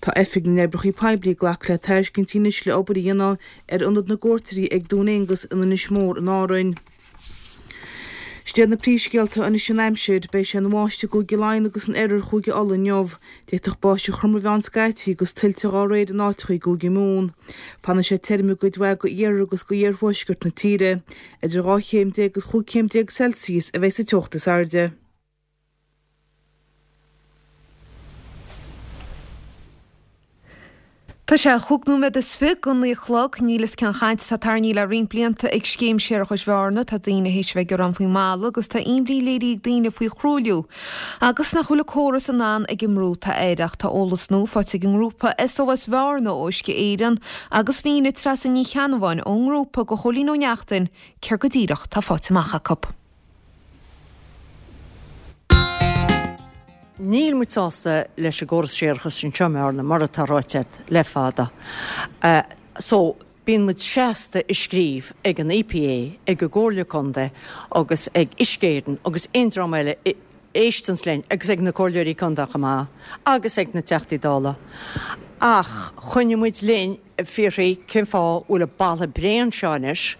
Tá Oifig na nOibreacha Poiblí ag glacadh le tairiscintí anois le obair a dhéanamh ar Ionad na gCuairteoirí ag Dún Aonghus in Inis Mór in Árainn. Sin iad na príomhscéalta anois an aimsir. Beidh sé ina bháisteach i gCúige Laighean agus in oirthear Chúige Uladh inniu. D'fhéadfadh báisteach throm a bheith ann scaití agus tuilte dá réir in áiteacha i gCúige Mumhan. Fanfaidh sé tirim i gcuid mhaith d'iarthar agus d'iarthuaisceart na tíre. Idir 12 chéim agus 15 chéim Celsius a bheidh sa teocht is airde. Tá sé chúig nóiméad is fi go naoi a chlog. Níl fhios cén chaint atá tarraingthe le roinnt blianta ag Scéim Séarachais Bhearna. Tá daoine théis a bheith ag gearán faoin mballa agus tá imní léirithe ag daoine faoi thruailliú agus nach bhfuil an córas in ann ag an mbrú atá air. Ach tá eolas nua faighte ag an ngrúpa SOS Bhearna ó Uisce Éireann agus mhínigh Treasa Ní Cheannabháin ón ngrúpa go Chóilín Ó Neachtain céard go díreach tá faighte amach acu. Níl muid sásta leis an gcóras séarachais anseo i mBearna, mar atá ráite agat le fada. So, bíonn muid seasta ag scríobh ag an EPA, ag an gComhairle Contae agus ag Uisce Éireann agus aon dream eile a éisteanns linn agus ag na Comhairleoirí Contae chomh maith agus ag na Teachtaí Dála. Ach choinnigh muid linn. ag fiafraí cén fáth bhfuil an balla bréan seo anois.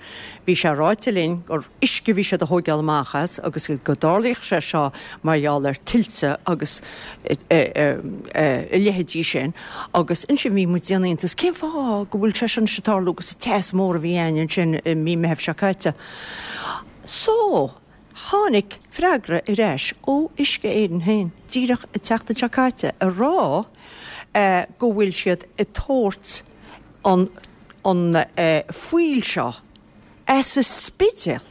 Bhí sé ráite linn gur uisce a bhí siad a thóigeáil amach as agus go dtarlaíodh sé seo mar gheall ar tuilte agus a leithéidí sin agus ansin bhí muid ag déanamh iontas cén fáth go bhfuil sé seo anois ag tarlú agus an teas mór a bhí a'ainn ansin i mí Meitheamh seo caite. So, tháinig freagra ar ais ó Uisce Éireann féin díreach an tseachtain seo caite ag rá go bhfuil siad ag tabhairt an an fuíoll seo as an Spidéal,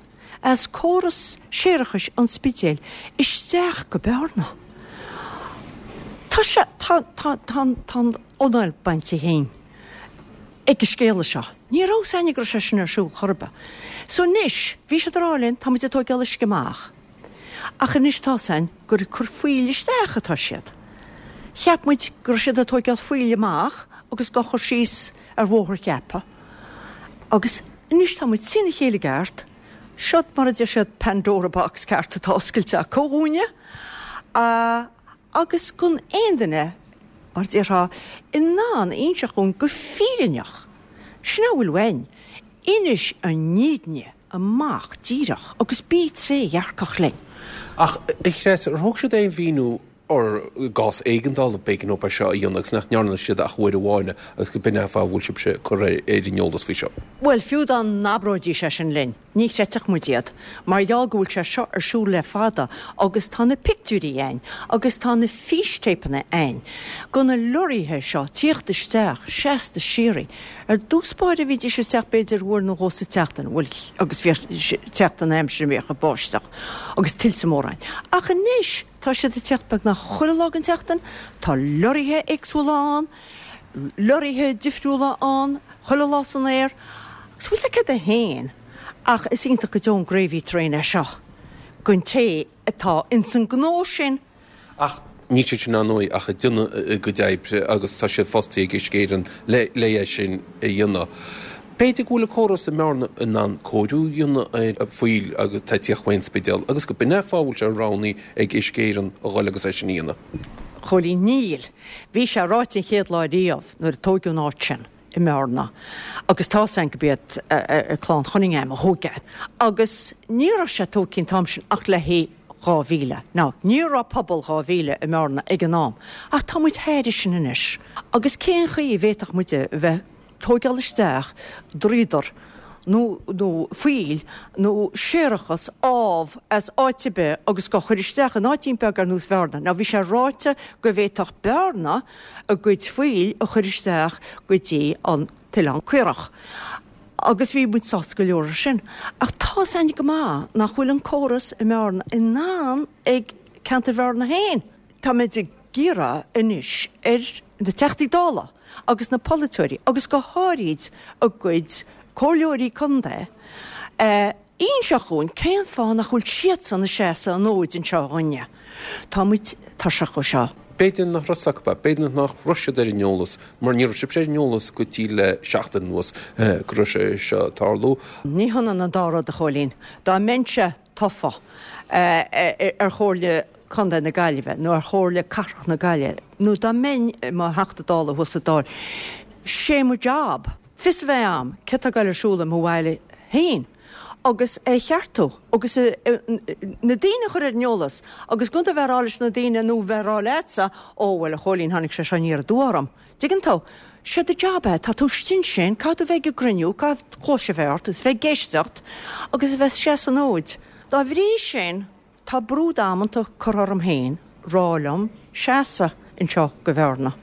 as córas séarachais an Spidéil isteach go Bearna. Tá sé, tá, tá, tá, tá an anáil bainte dhínn ag an scéala seo. Ní raibh 's a'ainne go raibh sé sin ar siúl chor ar bith. So anois, bhí siad ag rá linn, tá muid ag tóigeáil uisce amach. Ach anois tá's a'ainn gur ag cur fuíll isteach atá siad. Cheap muid go raibh siad ag tóigeáil fuíll amach agus dhá chur síos ar Bhóthar Cheapaigh. Agus anois tá muid trína chéile i gceart. Seod mar a deir siad Pandora box ceart atá oscailte acu dhúinne. Agus gan aon duine, mar a déarfá, in ann a inseacht dhúinn go fírinneach. Sin é a bhfuil uainn. Inis an fhírinne. amach díreach agus bí trédhearcach linn. Ach, a Threasa, ar thug siad aon mhíniú ar i gcás éigeandála b'éigean dóibh é seo a dhéanamh agus nach ndearna siad ach uair amháin agus go b'in é an fáth a bhfuil sibhse curtha ar an eolas faoi seo? Bhuel, fiú dá n-abróidís é sin linn, ní chreidfeadh muid iad, mar gheall go bhfuil sé seo ar siúl le fada agus tá na pictiúirí a'ainn agus tá na fístéipeanna a'ainn go na lorraithe seo tíocht isteach seasta síoraí. Ar dtús báire bhídís ag teacht b'fhéidir uair nó dhó sa tseachtain, bhuel agus bhíodh teacht an aimsir a mbíodh ag báisteach agus tuilte móra ann. Ach anois tá siad ag teacht beagnach chuile lá den tseachtain, tá lorraithe éagsúla ann, lorraithe difriúla ann chuile lá san aer agus bhfuil 's agat céard é féin ach is iontach go deo an gravy train é seo don té atá ins an gnó sin. Ach níl siad sin, ar ndóigh, ach ag déanamh a gcuid oibre agus tá siad fostaithe ag Uisce Éireann le é sin a dhéanamh. B'fhéidir go bhfuil an córas i mBearna in ann cóiriú a dhéanamh ar an fuíoll agus atá ag tíocht ón Spidéal agus go b'in é an fáth a bhfuil sé roghnaithe ag Uisce Éireann a dhul agus é sin a dhéanamh. Chóilín, Níl. Bhí sé ráite an chéad lá riamh nuair a tóigeadh an áit sin i mBearna agus tá's a'inn go b'iad clann Chunningham a thóg é agus ní raibh sé tógtha an t-am sin ach le haghaidh 2,000. Now, ní raibh pobal 2,000 i mBearna ag an am ach tá muid thairis sin anois agus cén chaoi a bhféadfadh muid a bheith tóigeáil isteach dríodar nó nó fuíoll nó séarachas ámh as áit ar bith agus dhá chur isteach in áitín beag ar nós Bhearna. Now bhí sé ráite go bhféadfadh Bearna a gcuid fuíll a chur isteach go dtí an tOileán Caorach agus bhí muid sásta go leor ar sin. Ach tá's a'inn go maith nach bhfuil an córas i mBearna in ann ag ceantar Bhearna féin. Táimid ag iarraidh anois ar na Teachtaí Dála agus na polaiteoirí agus go háirid a gcuid comhairleoirí contae a inseacht dhúinn cén fáth nach bhfuil siadsan ag seasamh an fhóid anseo dhúinne. Tá muid tuirseach dhó seo. B'fhéidir nach raibh 's acu, b'fhéidir nach raibh siad ar an eolas, mar ní raibh sibhse ar an eolas go dtí le seachtain anuas go raibh sé seo ag tarlú. Ní hionann an dá rud, a Chóilín. Dá mbeinnse tofa ar Chomhairle Contae na Gaillimhe nó ar Chomhairle Cathrach na Gaillimhe nó dá mbeinn i mo Theachta Dála thuas sa Dáil, sé mo job fios a bheith a'm céard tá ag goil ar siúl i mo bhaile féin. agus é a cheartú agus na daoine a chur ar an eolas agus gan tú a bheith ag rá leis na daoine nó bheith ag rá leatsa, ó bhuel a Chóilín tháinig sé seo aniar aduaidh orm. Dtuigeann tú? Sé do job é, tá tú istigh ansin, caithfidh tú bheith ag an gcruinniú, caithfidh cluais a bheith ort agus bheith ag éisteacht agus a bheith ag seasamh an fhóid. Dá bhrí sin, tá brú damanta curtha orm féin rá liom seasamh anseo go Bhearna.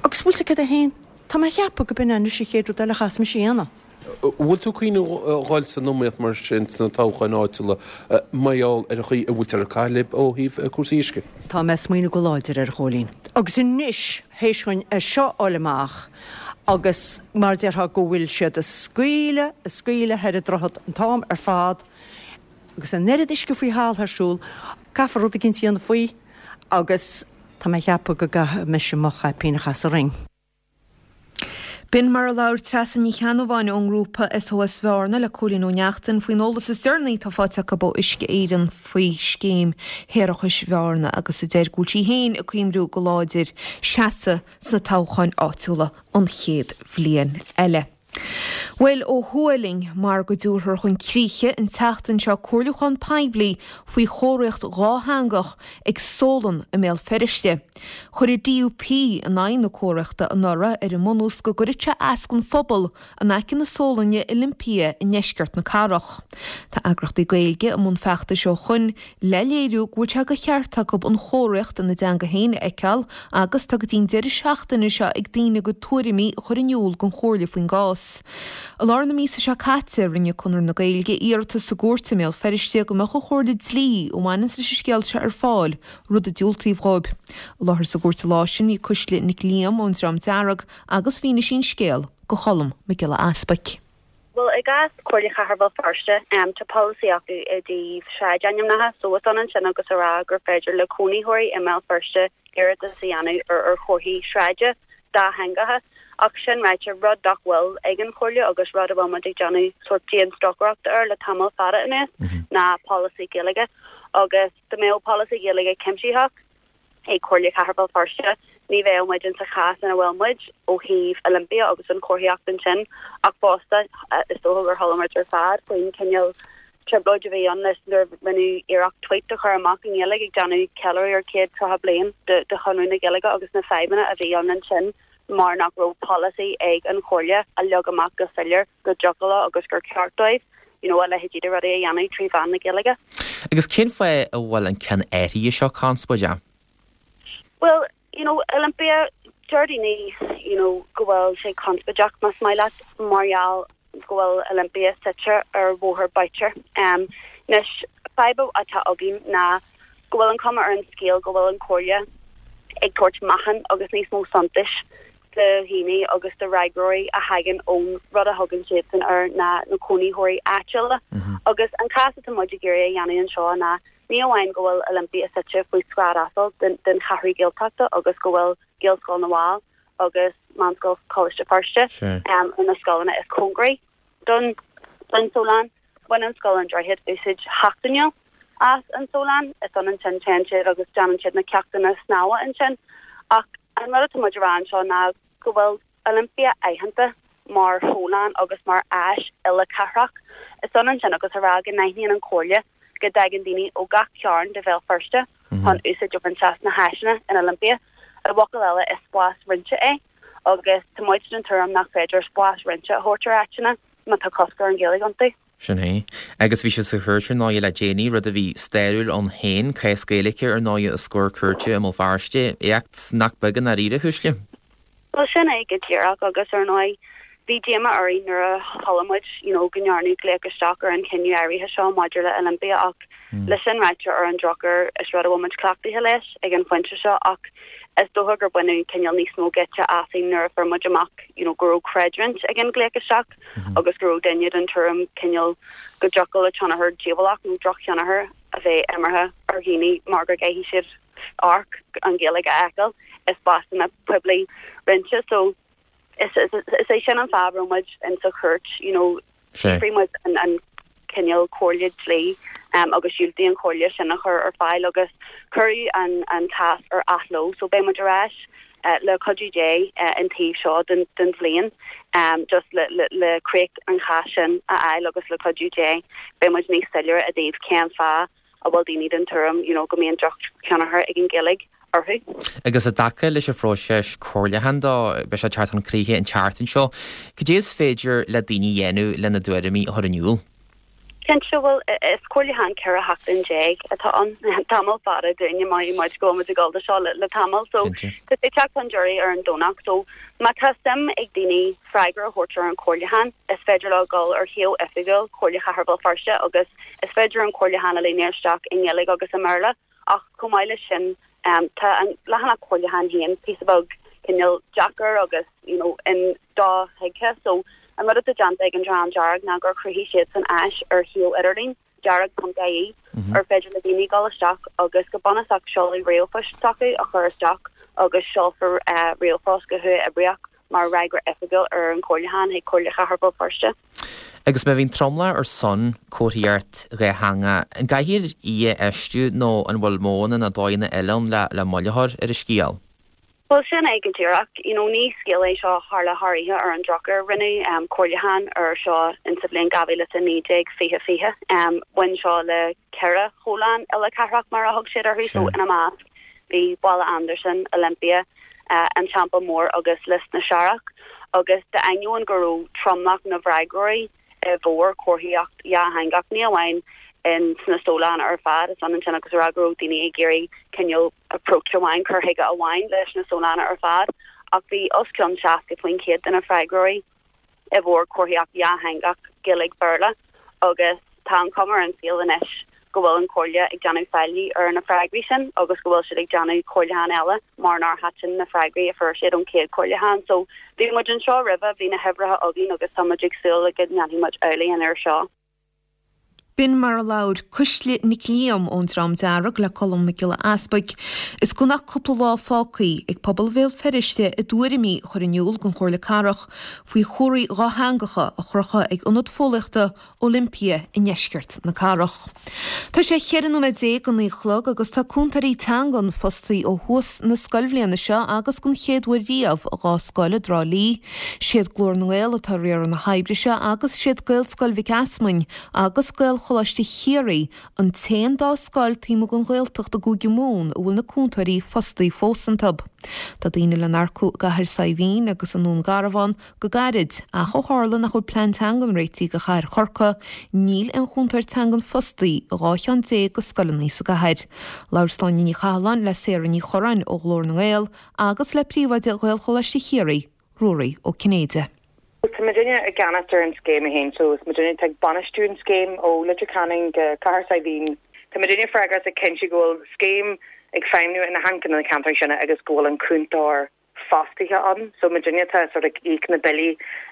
Agus bhfuil 's agat céard é féin, tá mé a cheapadh go b'in é anois an chéad rud eile a chaithfeas mise a dhéanamh. Bhfuil tú ag cuimhneamh a dhul san iomaíocht mar sin sna toghcháin áitiúla mar gheall ar an chaoi a bhfuiltear ag caitheamh libh ó thaobh cúrsaí uisce? Tá mé ag smaoineamh go láidir air, a Chóilín. Agus anois, théis dhuinn é seo a fháil amach agus mar a déarfá go bhfuil siad ag scaoileadh, ag scaoileadh thoir an droichead an t-am ar fad agus an oiread uisce faoi thalamh ar siúl, caithfear rud eicínt a dhéanamh faoi agus tá mé ag ceapadh go gcaithfidh mise mo chaipín a chaitheamh sa ring. B'in mar a labhair Treasa Ní Cheannabháin ón ngrúpa SOS Bhearna le Cóilín Ó Neachtain faoin eolas is deireanaí atá faighte acu ó Uisce Éireann faoi scéim shéarachais Bhearna agus a deir go bhfuil sí féin ag cuimriú go láidir seasamh sna toghcháin áitiúla an chéad bhliain eile. Bhuel, ó thuaidh linn, mar go dtabharfar chun críche an tseachtain seo comhairliúchán poiblí faoi chomharthaíocht dhátheangach ag Sólann i mBéal Feirste. Chuir an DUP in aghaidh na comharthaíochta anuraidh ar an mbunús go gcuirfeadh sé as don phobal in aice na sólainne Olympia i ndeisceart na cathrach. Tá eagraíochtaí Gaeilge i mbun feachtais ó shoin le léiriú go bhfuil sé de cheart acu an chomharthaíocht ina dteanga féin a fheiceáil agus tá go dtí an deireadh seachtaine seo ag daoine a gcuid tuairimí a chur in iúl don Chomhairle faoin gcás. I lár na míosa seo caite, rinne Conradh na Gaeilge iarratas sa gcúirt i mBéal Feirste go mbeadh an chomhairle dlí a bhaineanns leis an scéal seo ar fáil, rud a diúltaíodh dhóibh. I láthair sa gcúirt an lá sin bhí Cuisle Nic Liam ón Dream Dearg agus mhínigh sí an scéal do Cholm Mac Giolla Easpaig. Bhuel, i gcás Comhairle Chathair Bhéal Feirste, tá polasaí acu i dtaobh sráidainmneacha, so is ionann sin agus a rá gur féidir le cónaitheoirí i mBéal Feirste iarratas a dhéanamh ar ar chomharthaí sráide dátheangacha. Ach sin ráite, rud nach bhfuil ag an Chomhairle agus rud a bhfuil muid ag déanamh sórt dianstocaireachta air le tamall fada anuas ná polasaí Gaeilge. Agus dá mbeadh polasaí Gaeilge cuimsitheach, ag Comhairle Chathair Bhéal Feirste, ní bheadh muid insa chás ina bhfuil muid ó thaobh Olympia agus an chomharthaíocht ansin ach fosta is dócha gur chuala muid ar fad faoin cineál trioblóid a bhí ann leis nuair a rinneadh iarracht tweet a chur amach i nGaeilge ag déanamh ceiliúradh ar 130 bliain de Chonradh na Gaeilge agus na fadhbanna a bhí ann ansin mar nach raibh polasaí ag an Chomhairle a leag amach go soiléir go dtiocfadh leo agus gur ceart dóibh you know a leithéidí de rudaí a dhéanamh trí mheán na Gaeilge. Agus cén fáth a bhfuil an ceann áirithe seo conspóideach? Bhuel, you know, Olympia, deir daoine, you know, go bhfuil sé conspóideach, más maith leat, mar gheall go bhfuil Olympia suite ar Bhóthar Boucher. Anois, fadhb atá againn ná go bhfuil an chuma ar an scéal go bhfuil an Chomhairle ag tabhairt meáchan agus níos mó suntais do dhaoine agus do fhreagróirí a thagann ón rud a thugann siadsan air ná na cónaitheoirí áitiúla. Agus an cás atá muid ag iarraidh a dhéanamh anseo ná ní amháin go bhfuil Olympia suite faoi scáth asail den Cheathrú Gaeltachta agus go bhfuil Gaelscoil na bhFál agus Meánscoil Choláiste Feirste ar na scoileanna is cóngaraí don don Sólán. Baineann Scoil an Droichid úsáid sheachtainiúil as an Sólán. Is ionann sin, téann siad agus déanann siad na ceachtanna snámha ansin. Ach an rud atá muid a rá anseo ná go bhfuil Olympia aitheanta mar shólán agus mar áis uile-chathrach. Is ionann sin agus a rá go n-aithníonn an Chomhairle go dtagann daoine ó gach cearn de Bhéal Feirste chun úsáid a bhaint as na háiseanna in Olympia. I bhfocail eile, is spás roinnte é agus tá muid den tuairim nach féidir spás roinnte a thabhairt ar áiteanna má tá cosc ar an Ghaeilge iontu. Sin é. Agus bhí sibh sa chúirt ar ndóighe le déanaí, rud a bhí stairiúil ann féin, cás Gaeilge ar ndóighe os comhair cúirte i mBéal Feirste, éacht nach beag i ndáiríre, a Chúisle. Bhuel, sin é go díreach agus ar ndóigh bhí díomá orainn nuair a chuala muid you know go ndearnadh glaoch isteach ar an chinneadh áirithe seo maidir le Olympia ach le sin ráite ar an drochuair is rud a bhfuil muid cleachtaithe leis ag an phointe seo ach is dócha gur baineadh cineál níos mó geit asainn nuair a fuair muid amach you know go raibh creidiúint ag an glaoch isteach agus go raibh duine den tuairim cineál go dtiocfadh le tionchar díobhálach nó drochthionchar a bheith imeartha ar dhaoine mar go gcaithfidh siad amharc an Ghaeilge a fheiceáil i spásanna poiblí roinnte so is is é sin an fáth a raibh muid in sa chúirt you know d'fhiafraigh muid an an cineál comhairle dlí um, agus dhiúltaigh an chomhairle sin a chur ar fáil agus cuireadh an an cás ar athló so beidh muid ar ais. Le cuidiú Dé an taobh seo den bhliain just le críoch an cháis sin a fháil agus le cuidiú Dé beidh muid níos soiléire i dtaobh cén fáth a bhfuil daoine den tuairim you know go mbíonn drochthionchar ag an Ghaeilge orthu. Agus i dtaca leis an phróiseas comhairliúcháin dó, beidh sé ag teacht chun críche an tseachtain seo, cad é is féidir le daoine a dhéanamh lena dtuairimí a chur in iúl? Cinnte, bhuel, is comhairliúchán 14 sheachtain atá ann, tamall fada dúinne, mothaíonn muid go bhfuil muid ag dul do seo le tamall. So, tá sé ag teacht chun deiridh ar an Domhnach. So, má tá suim ag daoine freagra a thabhairt ar an chomhairliúchán, is féidir leo dul ar shuíomh oifigiúil Chomhairle Chathair Bhéal Feirste agus is féidir an comhairliúchán a líonadh isteach i nGaeilge agus i mBéarla. Ach chomh maith leis sin, tá an leathanach comhairliúcháin féin píosa beag cineál deacair agus you know in do-thuigthe. So an rud atá déanta ag an Dream Dearg ná gur chruthaigh siadsan áis ar shuíomh idirlín, dearg.ie, ar féidir le daoine dul isteach agus go bunúsach seoladh ríomhphoist s'acu a chur isteach agus seolfar ríomhphost go huathoibríoch mar fhreagra oifigiúil ar an chomhairliúchán chuig Comhairle Chathair Bhéal Feirste. Agus má bhíonn tromlach ar son comharthaíocht dhátheangach, an gcaithfear í a fheistiú nó an bhfuil modhanna nó dóigheanna eile ann le moill a chur ar an scéal? Bhuel, sin é go díreach. You know, ní scéal é seo a tharla thar oíche ar an drochuair. Rinneadh comhairliúchán ar seo in sa bhliain 2019, 2020. Bhain seo le ceithre thoghlann uile-chathrach mar a thug siad orthu, so ina measc bhí Baile Andarsan, Olympia, an Teampall Mór agus Lios na Searrach, agus d'ainneoin go raibh tromlach na bhfreagróirí i bhfabhar comharthaíocht dhátheangach, ní amháin in sna toghlainn ar fad, is ionann sin agus a rá go raibh daoine ag iarraidh cineál approach amháin, cur chuige amháin leis na toghlainn ar fad, ach bhí os cionn 60% de na freagróirí i bhfabhar comharthaíocht dhátheangach Gaeilge-Béarla agus tá an chuma ar an scéal anois go bhfuil an Chomhairle ag déanamh faillí ar na freagraí sin agus go bhfuil siad ag déanamh comhairliúchán eile mar nár thaitin na freagraí a fuair siad ón chéad chomhairliúchán. So bhí muid anseo roimhe, bhí na huimhreacha againn agus tá muid ag súil go ndéanfaidh muid amhlaidh an uair seo. B'in mar a labhair Cuisle Nic Liam ón Dream Dearg le Colm Mac Giolla Easpaig. Is gan ach cúpla lá fágtha ag pobal Bhéal Feirste a dtuairimí a chur in iúl don Chomhairle Cathrach faoi chomharthaí dhátheangacha a chrochadh ag ionad fóillíochta Olympia i ndeisceart na cathrach. Tá sé 14 nóiméad go 9 a chlog agus tá cúntóirí teangan fostaithe ó thús na scoilbhliana seo agus don chéad uair riamh i dhá scoil i dTrá Lí. Siad Glór na nGael atá ag riaradh na hoibre seo agus siad Gaelscoil Mhic Easmainn agus Gaelcholáiste Chiarraí an t-aon dá scoil taobh amuigh den Ghaeltacht i gCúige Mumhan a bhfuil na cúntóirí fostaithe fós iontu. Tá daoine le n-earcú i gCathair Saidhbhín agus i nDún Garbhán go gairid, ach ó tharla nach bhfuil plean teangan réitithe do chathair Chorcaí, níl aon chúntóir teangan fostaithe i 12 cheann de scoileanna sa gcathair. Labhair Sláine Ní Chathalláin le Sarah Ní Churráin ó Ghlór na nGael agus le príomhoide Ghaelcholáiste Chiarraí, Ruairí Ó Cinnéide. Tá muidinne i gceannas ar an scéim í féin so is muidinne atá ag bainistiú an scéim ó Leitir Ceanainn go Cathair Saidhbhín. Tá muidinne freagrach as ag cinntiú go bhfuil scéim ag feidhmniú in achan ceann de na ceantair sin agus go bhfuil an cúntóir fostaithe ann. So muidinne atá sort ag íoc na billí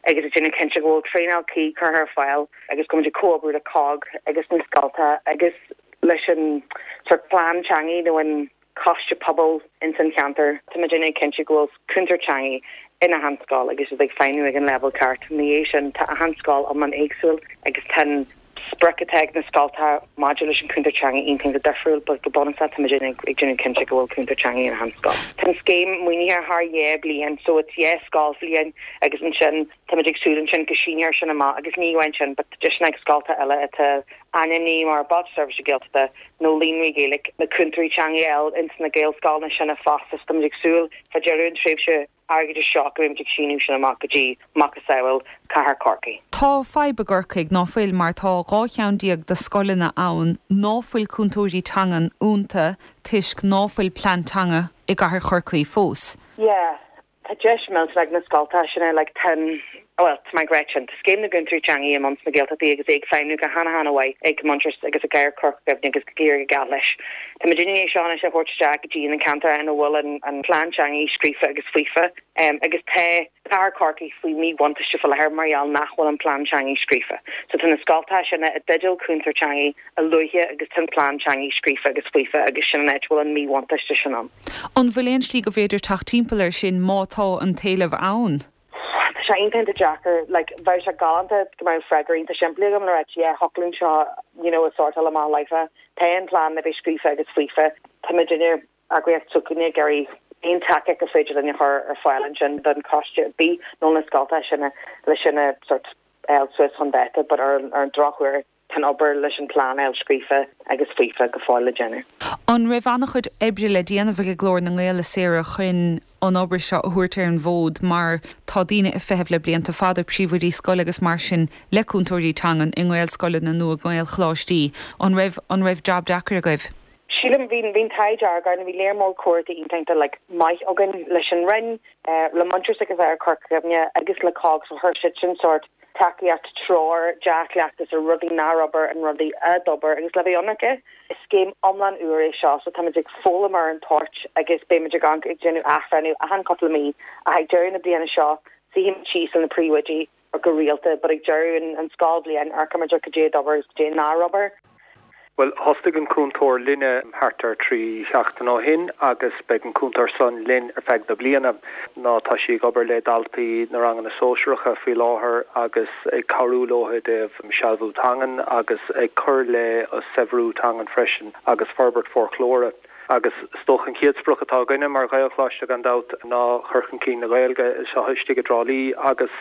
agus ag déanamh cinnte go bhfuil traenáil cuí curtha ar fáil agus go bhfuil muid ag comhoibriú le COGG agus na scoltacha agus leis an sort plean teangaidh nó an coiste pobail ins an cheantar. Tá muidinne ag cinntiú go bhfuil cúntóir teangaidh in achan scoil agus iad ag feidhmiú ag an leibhéal ceart. Ina dhiaidh sin, tá achan scoil iomlán éagsúil agus tá an sprioc atá ag na scoltacha maidir leis an cúntóir teangaidh iontach iontach difriúil but go bunúsach tá muidinne ag déanamh cinnte go bhfuil cúntóir teangaidh in achan scoil. Tá an scéim maoinithe thar dheich bliain so it's dheich scoilbhliain agus ansin tá muid ag súil ansin go síneofar sin amach agus ní amháin sin but tá deiseanna ag scoltacha eile atá ainmnithe mar Bailte Seirbhíse Gaeltachta nó Líonraí Gaeilge, na cúntóirí teanga a fháil ins na Gaelscoileanna sin fosta so táimid ag súil fá deireadh an tréimhse airgeadais seo go mbeimid ag síniú sin amach go dtí macasamhail Cathair Chorcaí. Tá fadhb i gCorcaigh, ná fuil, mar tá 12 cheann de scoileanna ann ná fuil cúntóirí teangan iontu toisc ná fuil plean teanga i gcathair Chorcaí fós. Yeah. Tá deis millteanach ag na scoltacha sin like tá an, bhuel, tá mé ag ráit sin, tá Scéim na gCúntóirí Teanga i mbun sna Gaeltachtaí agus é ag feidhmiú go hana-hana-mhaith ag Muintearas agus i gCathair Chorca Dhuibhne agus ag éirí go geal leis. Tá muid i ndiaidh seo anois a thabhairt isteach go dtí na ceantair ina bhfuil an an plean teanga scríofa agus faofa agus tá Cathair Chorcaí faoi mhíbhuntáiste faoi láthair mar gheall nach bhfuil an plean teanga scríofa. So tá na scoltacha sin i dteideal cúntóir teanga a luaithe agus tá an plean teanga scríofa agus faofa agus sin an áit a bhfuil an míbhuntáiste sin ann. An bhfuil aon slí go bhféidir teacht timpeall air sin má tá an t-éileamh ann? Tá sé iontach iontach deacair. Like, bheadh sé galánta go mbeadh freagra iontach simplí agam le ráit, yeah, thiocfadh linn seo, you know, a sórtáil amach láithreach. Tá an plean le bheith scríofa agus faofa. Tá muidinne, eagraíocht s'againne, ag iarraidh. Aon tacaíocht is féidir linn a chur ar fáil ansin don choiste ar bith nó na scoltacha sin le sin a sort fháil suas chun dáta but ar an drochuair tá an obair leis an plean a fháil scríofa agus faofa go fóill le déanamh. An raibh an-chuid oibre le déanamh ag Glór na nGael, a Sarah, chun an obair seo a thabhairt ar an bhfód mar tá daoine ag feitheamh le blianta fada, príomhoidí scoile agus mar sin, le cúntóirí teangan i nGaelscoileanna nó i nGaelcholáistí. An raibh, an raibh jab deacair agaibh? Sílim, bhí, bhí an t-ádh dearg orainn, bhí léar mór comhráite iontach like maith againn leis an Roinn, le Muintearas agus Oidhreacht Chorca Dhuibhne agus le COGG so chuir siad sin sórt tacaíocht, treoir, dea-chleachtas ar rudaí nár obair and rudaí a d'obair agus le bheith ionraice, is scéim iomlán úr é seo so táimid ag foghlaim ar an toirt agus beimid ag amharc ag déanamh athbhreithniú achan cúpla mí ach ag deireadh na bliana seo suífimid síos le na príomhoidí go rialta but ag deireadh an scoilbhliain amharcfaimid ar cad é a d'obair agus cad é nár obair. Bhuel, thosaigh an cúntóir linne thart ar thrí sheachtain ó shin agus beidh an cúntóir san linn ar feadh na bliana. Ná tá sí ag obair le daltaí na ranganna sóisearacha faoi láthair agus ag cabhrú leo i dtaobh sealbhú teangan agus ag cur le saibhriú teangan freisin agus forbairt foclóra. Agus is dócha an chéad sprioc atá againne mar Ghaelcholáiste gan dabht ná cur chun cinn na Gaeilge anseo istigh i dTrá Lí agus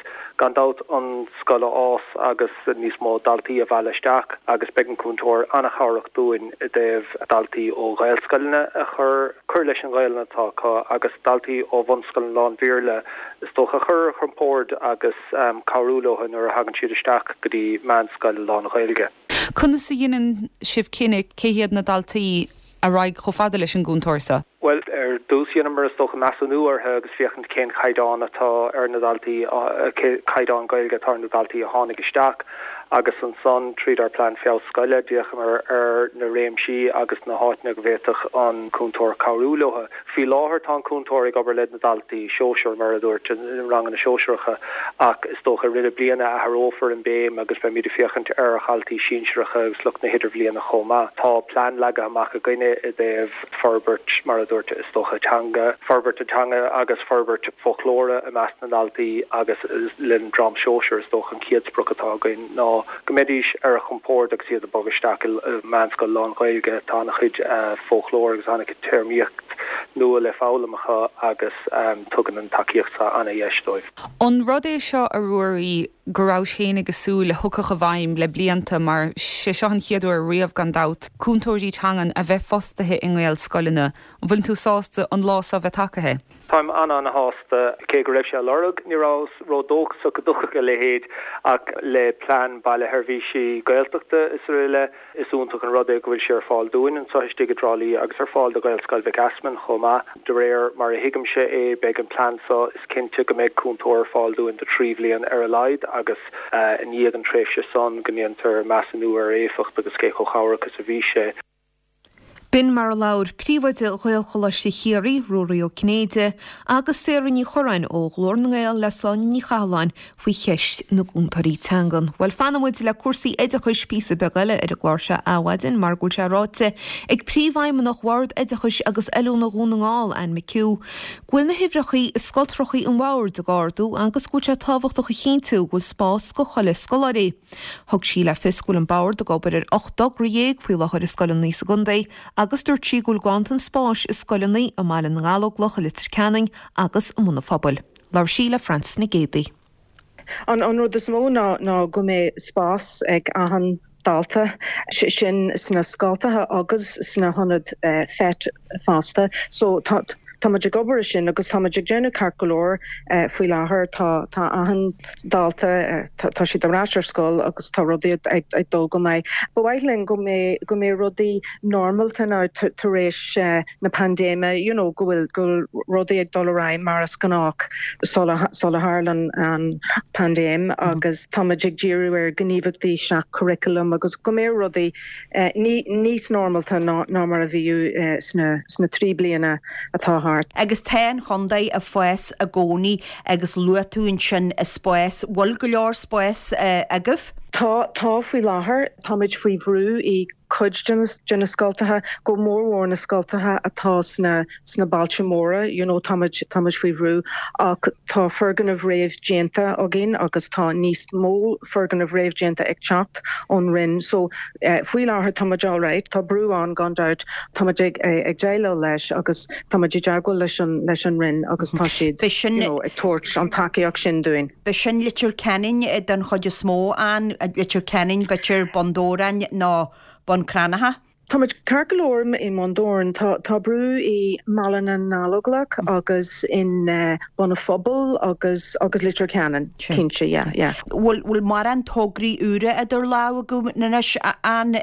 gan dabht an scoil a fhás agus níos mó daltaí a mhealladh isteach agus beidh an cúntóir an-chabhrach dúinn i dtaobh daltaí ó Ghaelscoileanna a chur cur leis an Ghaelainn atá acu agus daltaí ó bhunscoileanna lán-Bhéarla is dócha a chur ar a gcompord agus cabhrú leo nuair a thagann siad isteach go dtí meánscoil lán-Ghaeilge. Conas a dheineann sibh cinneadh cé hiad na daltaí a raghaidh chomh fada leis an gcúntóir seo? Bhuel, ar dtús dheineamar is dócha measúnú orthu agus féachaint cén chaighdeán atá ar na daltaí, cén caighdeán Gaeilge atá ar na daltaí a tháinig isteach agus ansan tríd ár bplean feabhas scoile d'fhéachamar ar na réimsí agus na háiteanna go bhféadfadh an cúntóir cabhrú leo. Faoi láthair tá an cúntóir ag obair le na daltaí sóisear, mar a dúirt, i ranganna sóisearacha ach is dócha i rith na bliana athrófar an béim agus beimid ag féachaint ar dhaltaí sinsearacha agus lucht na hidirbhliana chomh maith. Tá plean leagtha amach againne i dtaobh forbairt, mar a dúirt, is dócha teanga, forbairt an teanga agus forbairt foclóra i measc na ndaltaí agus le an dream sóisear is dócha an chéad sprioc atá againn ná go mbeidís ar a gcompord agus iad ag bogadh isteach i meánscoil lán-Ghaeilge. Tá an-chuid foclóir agus an-chuid téarmaíocht nua le foghlaim acu agus tugann an tacaíocht seo an-dheis dóibh. An rud é seo, a Ruairí, go rabhais féin ag súil a thiocfadh i bhfeidhm le blianta, mar sé seo an chéad uair riamh, gan dabht, cúntóirí teangan a bheith fostaithe i nGaelscoileanna. An bhfuileann tú sásta an lá seo bheith tagaithe? Táim an-an-shásta. Cé go raibh sé á lorg, ní rabhas ró-dóchasach go dtiocfadh a leithéid ach le plean Baile Sheirbhísí Gaeltachta is aroile, is iontach an rud é go bhfuil sé ar fáil dúinn anseo istigh i dTrá Lí agus ar fáil do Ghaelscoil Mhic Easmainn chomh maith. De réir mar a thuigimse é, beidh an plean seo, is cinnte go mbeidh cúntóir ar fáil dúinn do thrí bhliain ar a laghad agus i ndiaidh an tréimhse san go ndéantar measúnú ar a éifeacht agus cé chomh chabhrach is a bhí sé. B'in mar a labhair Príomhoide Ghaelcholáiste Chiarraí, Ruairí Ó Cinnéide, agus Sarah Ní Churráin ó Ghlór na nGael le Sláine Ní Chathalláin faoi cheist na gcúntóirí teangan. Bhuel, fanfaidh muid le cúrsaí oideachais píosa beag eile ar an gclár seo adhmhaidin mar go bhfuil sé ráite ag Príomhfheidhmeannach Bhord Oideachais agus Oiliúna Dhún na nGall, Anne McHugh, go bhfuil na huimhreachaí i scoltrachaí an Bhoird ag ardú agus go bhfuil sé tábhachtach a chinntiú go bhfuil spás go chuile scoláirí. Thug sí le fios go bhfuil an Bord ag obair ar 18 dtogra faoi láthair i scoileanna sa gcontae agus dúirt sí go bhfuil ganntan spáis i scoileanna i mBaile na nGallóglach, i Leitir Ceanainn agus i mBun an Phobail. Labhair sí le Frances Nic Géadaigh. An rud is mó ná go mbeidh spás ag achan dalta, sin sna scoltacha agus sna hionaid FET fosta. So tá tá muid ag obair ar sin agus tá muid ag déanamh ceart go leor faoi láthair. Tá tá achan dalta, tá siad ar ais ar scoil agus tá rudaí ag dul go maith. Ba mhaith linn go mbeidh go mbeidh rudaí normálta now tar éis na paindéime, you know, go bhfuil go bhfuil rudaí ag dul ar aghaidh mar is gnách sula sula tharla an paindéim agus tá muid ag díriú ar ghníomhaíochtaí seach-churaclaim agus go mbeidh rudaí níos normálta ná mar a bhíodh sna 3 bliana atá thart. Agus tá an chontae ag fás i gcónaí agus luaigh tú ansin spás, bhfuil go leor spáis agaibh? Tá, tá faoi láthair. Táimid faoi bhrú i cuid de na, de na scoltacha, go mórmhór na scoltacha atá sna, sna bailte móra, you know, táimid, táimid faoi bhrú ach tá foirgnimh réamh-déanta againn agus tá níos mó foirgnimh réamh-déanta ag teacht ón Roinn. So, faoi láthair táimid alright. Tá brú ann gan dabht. Táimid ag, ag déileáil leis agus táimid i dteagmháil leis an, leis an Roinn agus tá siad, you know, ag tabhairt an tacaíocht sin dúinn. B'shin Leitir Ceanainn den chuid is mó, an, Leitir Ceanainn, b'fhéidir Bun Dobhráin nó Bun Cranncha. Táimid ceart go leor i mBun Dobhráin. Tá, tá brú i mBaile na nGallóglach agus in Bun a' Phobail agus, agus Leitir Ceanainn, cinnte, yeah, yeah. Bhfuil, bhfuil mórán tograí úra idir lámha agaibh anois, an,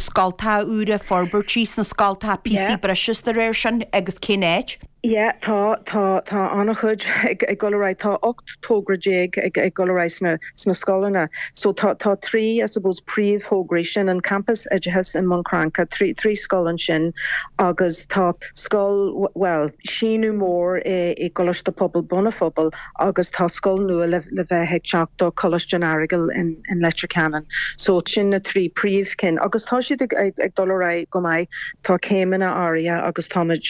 scoltacha úra, forbairtí sna scoltacha, píosaí breise is dá réir sin agus cén áit? Yeah, tá, tá, tá an-chuid ag, ag dul ar aghaidh. Tá 18 togra ag, ag dul ar aghaidh sna, sna scoileanna. So tá, tá 3, I suppose, príomhthograí, sin an Campas Oideachais i mBun Cranncha, 3, 3 scoil ansin agus tá scoil, bhuel, síneadh mór i, i gColáiste Pobail Bun a' Phobail agus tá scoil nua le, le bheith ag teacht do Choláiste an Earagail in, in Leitir Ceanainn. So sin na 3 príomhchinn agus tá siad ag, ag, ag dul ar aghaidh go maith. Tá céimeanna áirithe agus táimid,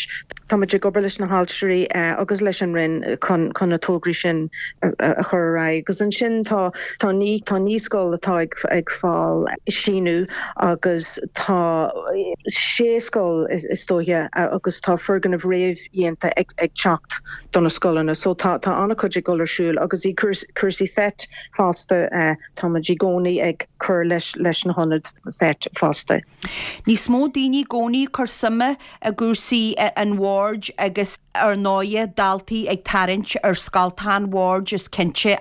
táimid ag obair leis na hailtirí agus leis an Roinn chun, chun na tograí sin a chur ar aghaidh. Agus ansin tá, tá naoi, tá naoi scoil atá ag, ag fáil síneadh agus tá sé scoil is dóiche agus tá foirgnimh réamhdhéanta ag, ag teacht do na scoileanna. So tá, tá an-chuid ag dul ar siúl agus i cúrsaí FET fosta, táimid i gcónaí ag cur leis, leis na hionaid FET fosta. Níos mó daoine i gcónaí ag cur suime i gcúrsaí an bhoird agus ar ndóighe daltaí ag tarraingt ar scoltacha an bhoird is cinnte.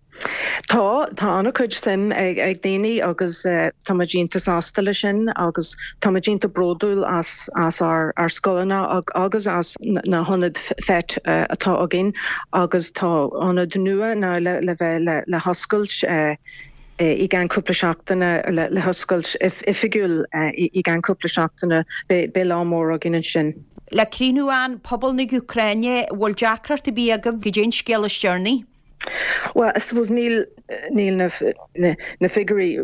Tá, tá an-chuid suim ag daoine agus tá muid iontach sásta leis sin agus tá muid iontach bródúil as as ár ár scoileanna agus as na hionaid FET atá againn agus tá ionad nua now le le bheith le le hoscailt i gceann cúpla seachtaine le hoscailt oifigiúil i gceann cúpla seachtaine. Beidh lá mór againn ansin. Le críochnú Ann, pobal na hÚcráine, bhfuil deacracht ar bith agaibh goidé an scéal is deireanaí? Well, I suppose níl níl na na figiúirí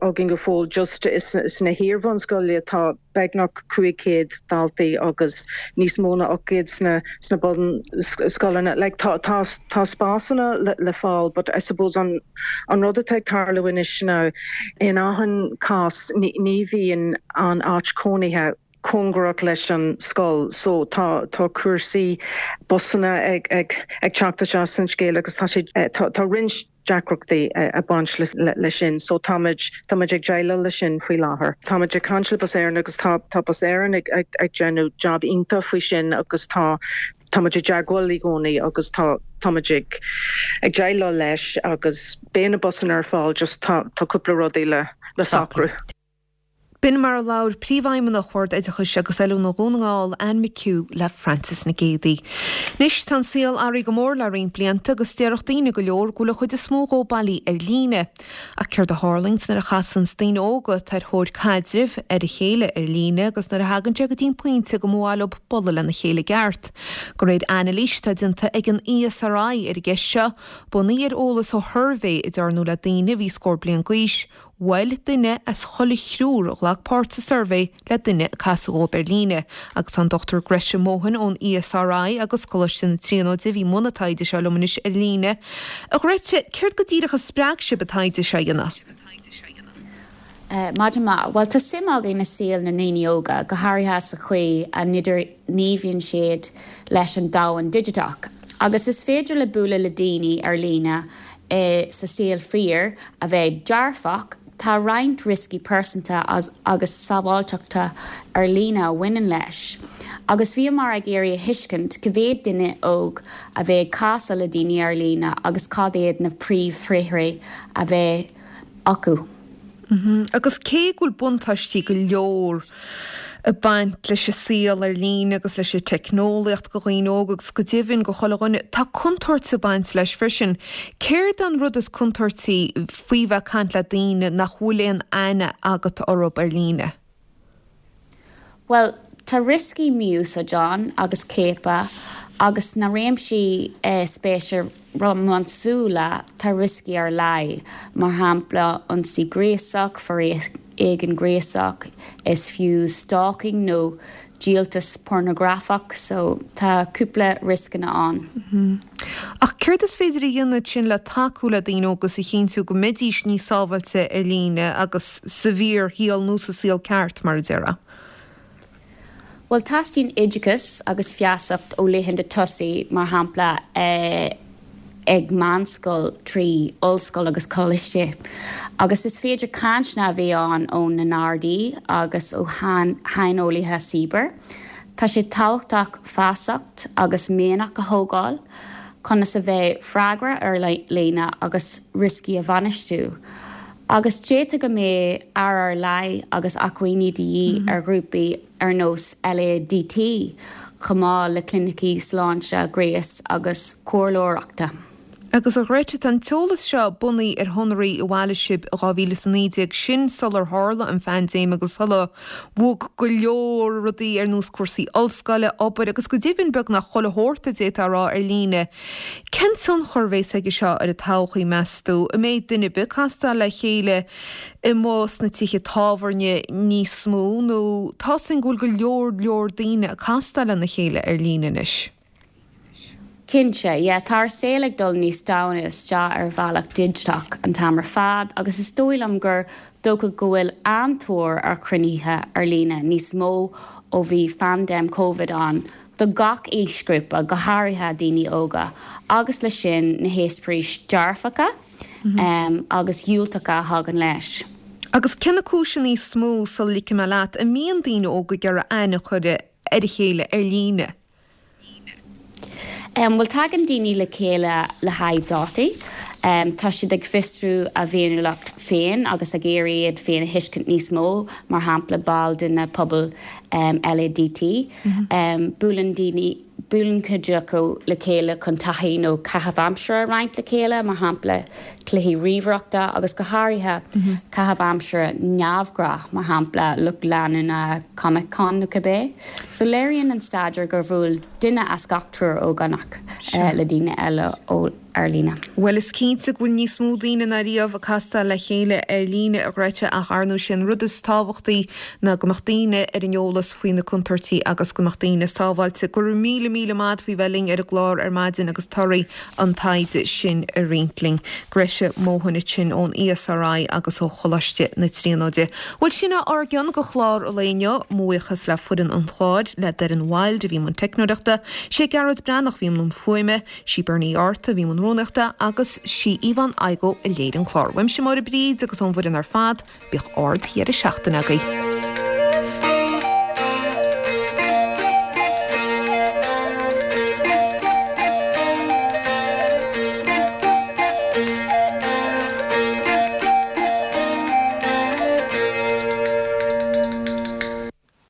againn go fóill just sna hiar-bhunscoileanna tá beagnach 500 daltaí agus níos mó ná 800 sna sna bunscoileanna. Like tá tá tá spásanna le le fáil but I suppose an an rud atá ag tarlú anois ná in achan cás ní ní bhíonn an áit cónaithe cóngarach leis an scoil so tá tá cúrsaí busanna ag ag ag teacht isteach san scéal agus tá sé tá tá roinnt deacrachtaí ag baint leis sin so táimid, táimid ag déileáil leis sin faoi láthair. Táimid ag caint le Bus Éireann agus tá, tá Bus Éireann ag, ag, ag déanamh jab iontach faoi sin agus tá, táimid i dteagmháil i gcónaí agus tá, táimid ag, ag déileáil leis agus beidh na busanna ar fáil just tá, tá cúpla rudaí le, le socrú. B'in mar a labhair Príomhfheidhmeannach Bhord Oideachais agus Oiliúna Dhún na nGall, Anne McHugh le Frances Nic Géadaigh. Anois, tá an saol athraithe go mór le roinnt blianta agus déarfadh daoine go leor go bhfuil an chuid is mó dhó bailí ar líne. Ach céard a tharlaíonns nuair a chasanns daoine óga atá ar thóir caidrimh ar a chéile ar líne agus nuair a thagann sé go dtí an pointe go mba mhaith leo bualadh lena chéile i gceart? De réir anailís atá déanta ag an ESRI ar an gceist seo, bunaithe ar eolas ó shuirbhé a dearnadh le daoine a bhí scór bliain d'aois, Bhuail duine as chuile thriúr a ghlac páirt sa suirbhé le duine a casadh dhóibh ar líne, agus tá an Dr Grete Mohan ón ESRI agus Coláiste na Tríonóide a bhí i mbun an taighde seo liom anois ar líne. A Ghrete, céard go díreach a spreag sibh an taighde seo a dhéanamh? Maidin mhaith. Bhuel, tá suim againn i saol na ndaoine óga, go háirithe sa chaoi a n-idirghníomhaíonn siad leis an domhan digiteach. Agus is féidir le bualadh le daoine ar líne i sa saol fíor a bheith dearfach, tá roinnt rioscaí pearsanta agus sábháilteachta ar líne a bhaineann leis. Agus bhíomar ag iarraidh a thuiscint cá mhéad duine óg a bheith ag casadh le daoine ar líne agus cad iad na príomhthréithre a bheith acu. Agus cé go bhfuil buntáistí go leor ag baint leis an saol ar líne agus leis an teicneolaíocht go dhaoine óga agus go deimhin go chuile dhuine, tá contúirt ag baint leis freisin. Céard an rud is contúirtí faoi bheith ag caint le daoine nach bhfuil aon aithne agat orthu ar líne? Bhuel, tá rioscaí mí-úsáide ann agus ciapadh. Agus sna réimsí spéise rómánsúla, tá rioscaí ar leith, mar shampla ionsaí gréasach, foréigean gréasach, is fiú stalking nó díoltas pornagrafach, so tá cúpla rioscanna ann. Ach céard is féidir a dhéanamh ansin le tacú le daoine óga is a chinntiú go mbeidís níos sábháilte ar líne agus sa bhfíorshaol nó sa saol ceart, mar a déarfá? Bhuel, teastaíonn oideachas agus feasacht ó laethanta tosaigh, mar shampla ag meánscoil, trí ollscoil agus coláiste. Agus is féidir cainteanna a bheith ann ó na nGardaí agus ó shaineolaithe cibear. Tá sé tábhachtach feasacht agus mianach a thógáil conas a bheith freagrach ar líne agus rioscaí a bhainistiú. Agus d'fhéadfadh go mbeadh aire ar leith agus acmhainní de dhíth ar ghrúpaí ar nós LADT, chomh maith le clinicí sláinte gnéis agus comhairleoireachta. Agus a Ghretta, tá an t-eolas seo bunaithe ar shonraí a bhailigh sibh i 2019, sin sular tharla an phaindéim agus sular bhog go leor rudaí ar nós cúrsaí ollscoile, obair agus go deimhin beagnach chuile shórt a d'fhéadfá a rá ar líne. Cén tionchar a bheas aige seo ar an todhchaí, meas tú? An mbeidh duine ar bith ag castáil le chéile amuigh sna tithe tábhairne níos mó nó tá's againn go bhfuil go leor leor daoine ag castáil lena chéile ar líne anois? Cinnte, yeah. Tá ár saol ag dul níos domhaine isteach ar bhealach digiteach an t-am ar fad agus is dóigh liom gur dócha go bhfuil an-tóir ar chruinnithe ar líne níos mó ó bhí phaindéim Covid ann do gach aoisghrúpa, go háirithe daoine óga, agus leis sin na heispéiris dearfacha agus dhiúltacha a thagann leis. Agus cé na cúiseanna is mó, sula ligfidh mé leat, a mbíonn daoine óga ag iarraidh aithne a chur ar a chéile ar líne? Bhuel, tagann daoine le chéile le haghaidh dátaí. Tá siad ag fiosrú a bhféiniúlacht féin agus ag iarraidh iad féin a thuiscint níos mó, mar shampla baill de na pobail LADT. Buaileann daoine, buaileann cuid acu le chéile chun taithí nó caitheamh aimsire a roinnt le chéile, mar shampla cluichí ríomhaireachta agus go háirithe caitheamh aimsire neamhghnách, mar shampla lucht leanúna Comic Con nó cibé. So léiríonn an staidéar gur bhuail duine as gach triúr ógánach le daoine eile ó ar líne. Bhuel, is cinnte go bhfuil níos mó daoine ná riamh ag castáil le chéile ar líne, a Ghretta, ach ar ndóigh sé an rud is tábhachtaí ná go mbeadh daoine ar an eolas faoi na contúirtí agus go mbeadh daoine sábháilte. Go raibh míle míle maith a't faoi bheith linn ar an gclár ar maidin agus torthaí an taighde sin a roinnt linn. Gretta Mohan ansin ón ESRI agus ó Choláiste na Tríonóide. Bhuel, sin é ár gcion go chlár an lae inniu. Mo bhuíochas le foireann an chláir, le Doireann Wilde a bhí i mbun teicneoireachta, sé Gearóid Breathnach a bhí i mbun fuaime, Sí Bernie Art a bhí i mbun rúnaíochta agus sí Yvonne Igoe a léirigh an clár. Uaimse Máire Bríd agus ón bhfoireann ar fad, bíodh ard-dheireadh seachtaine agaibh.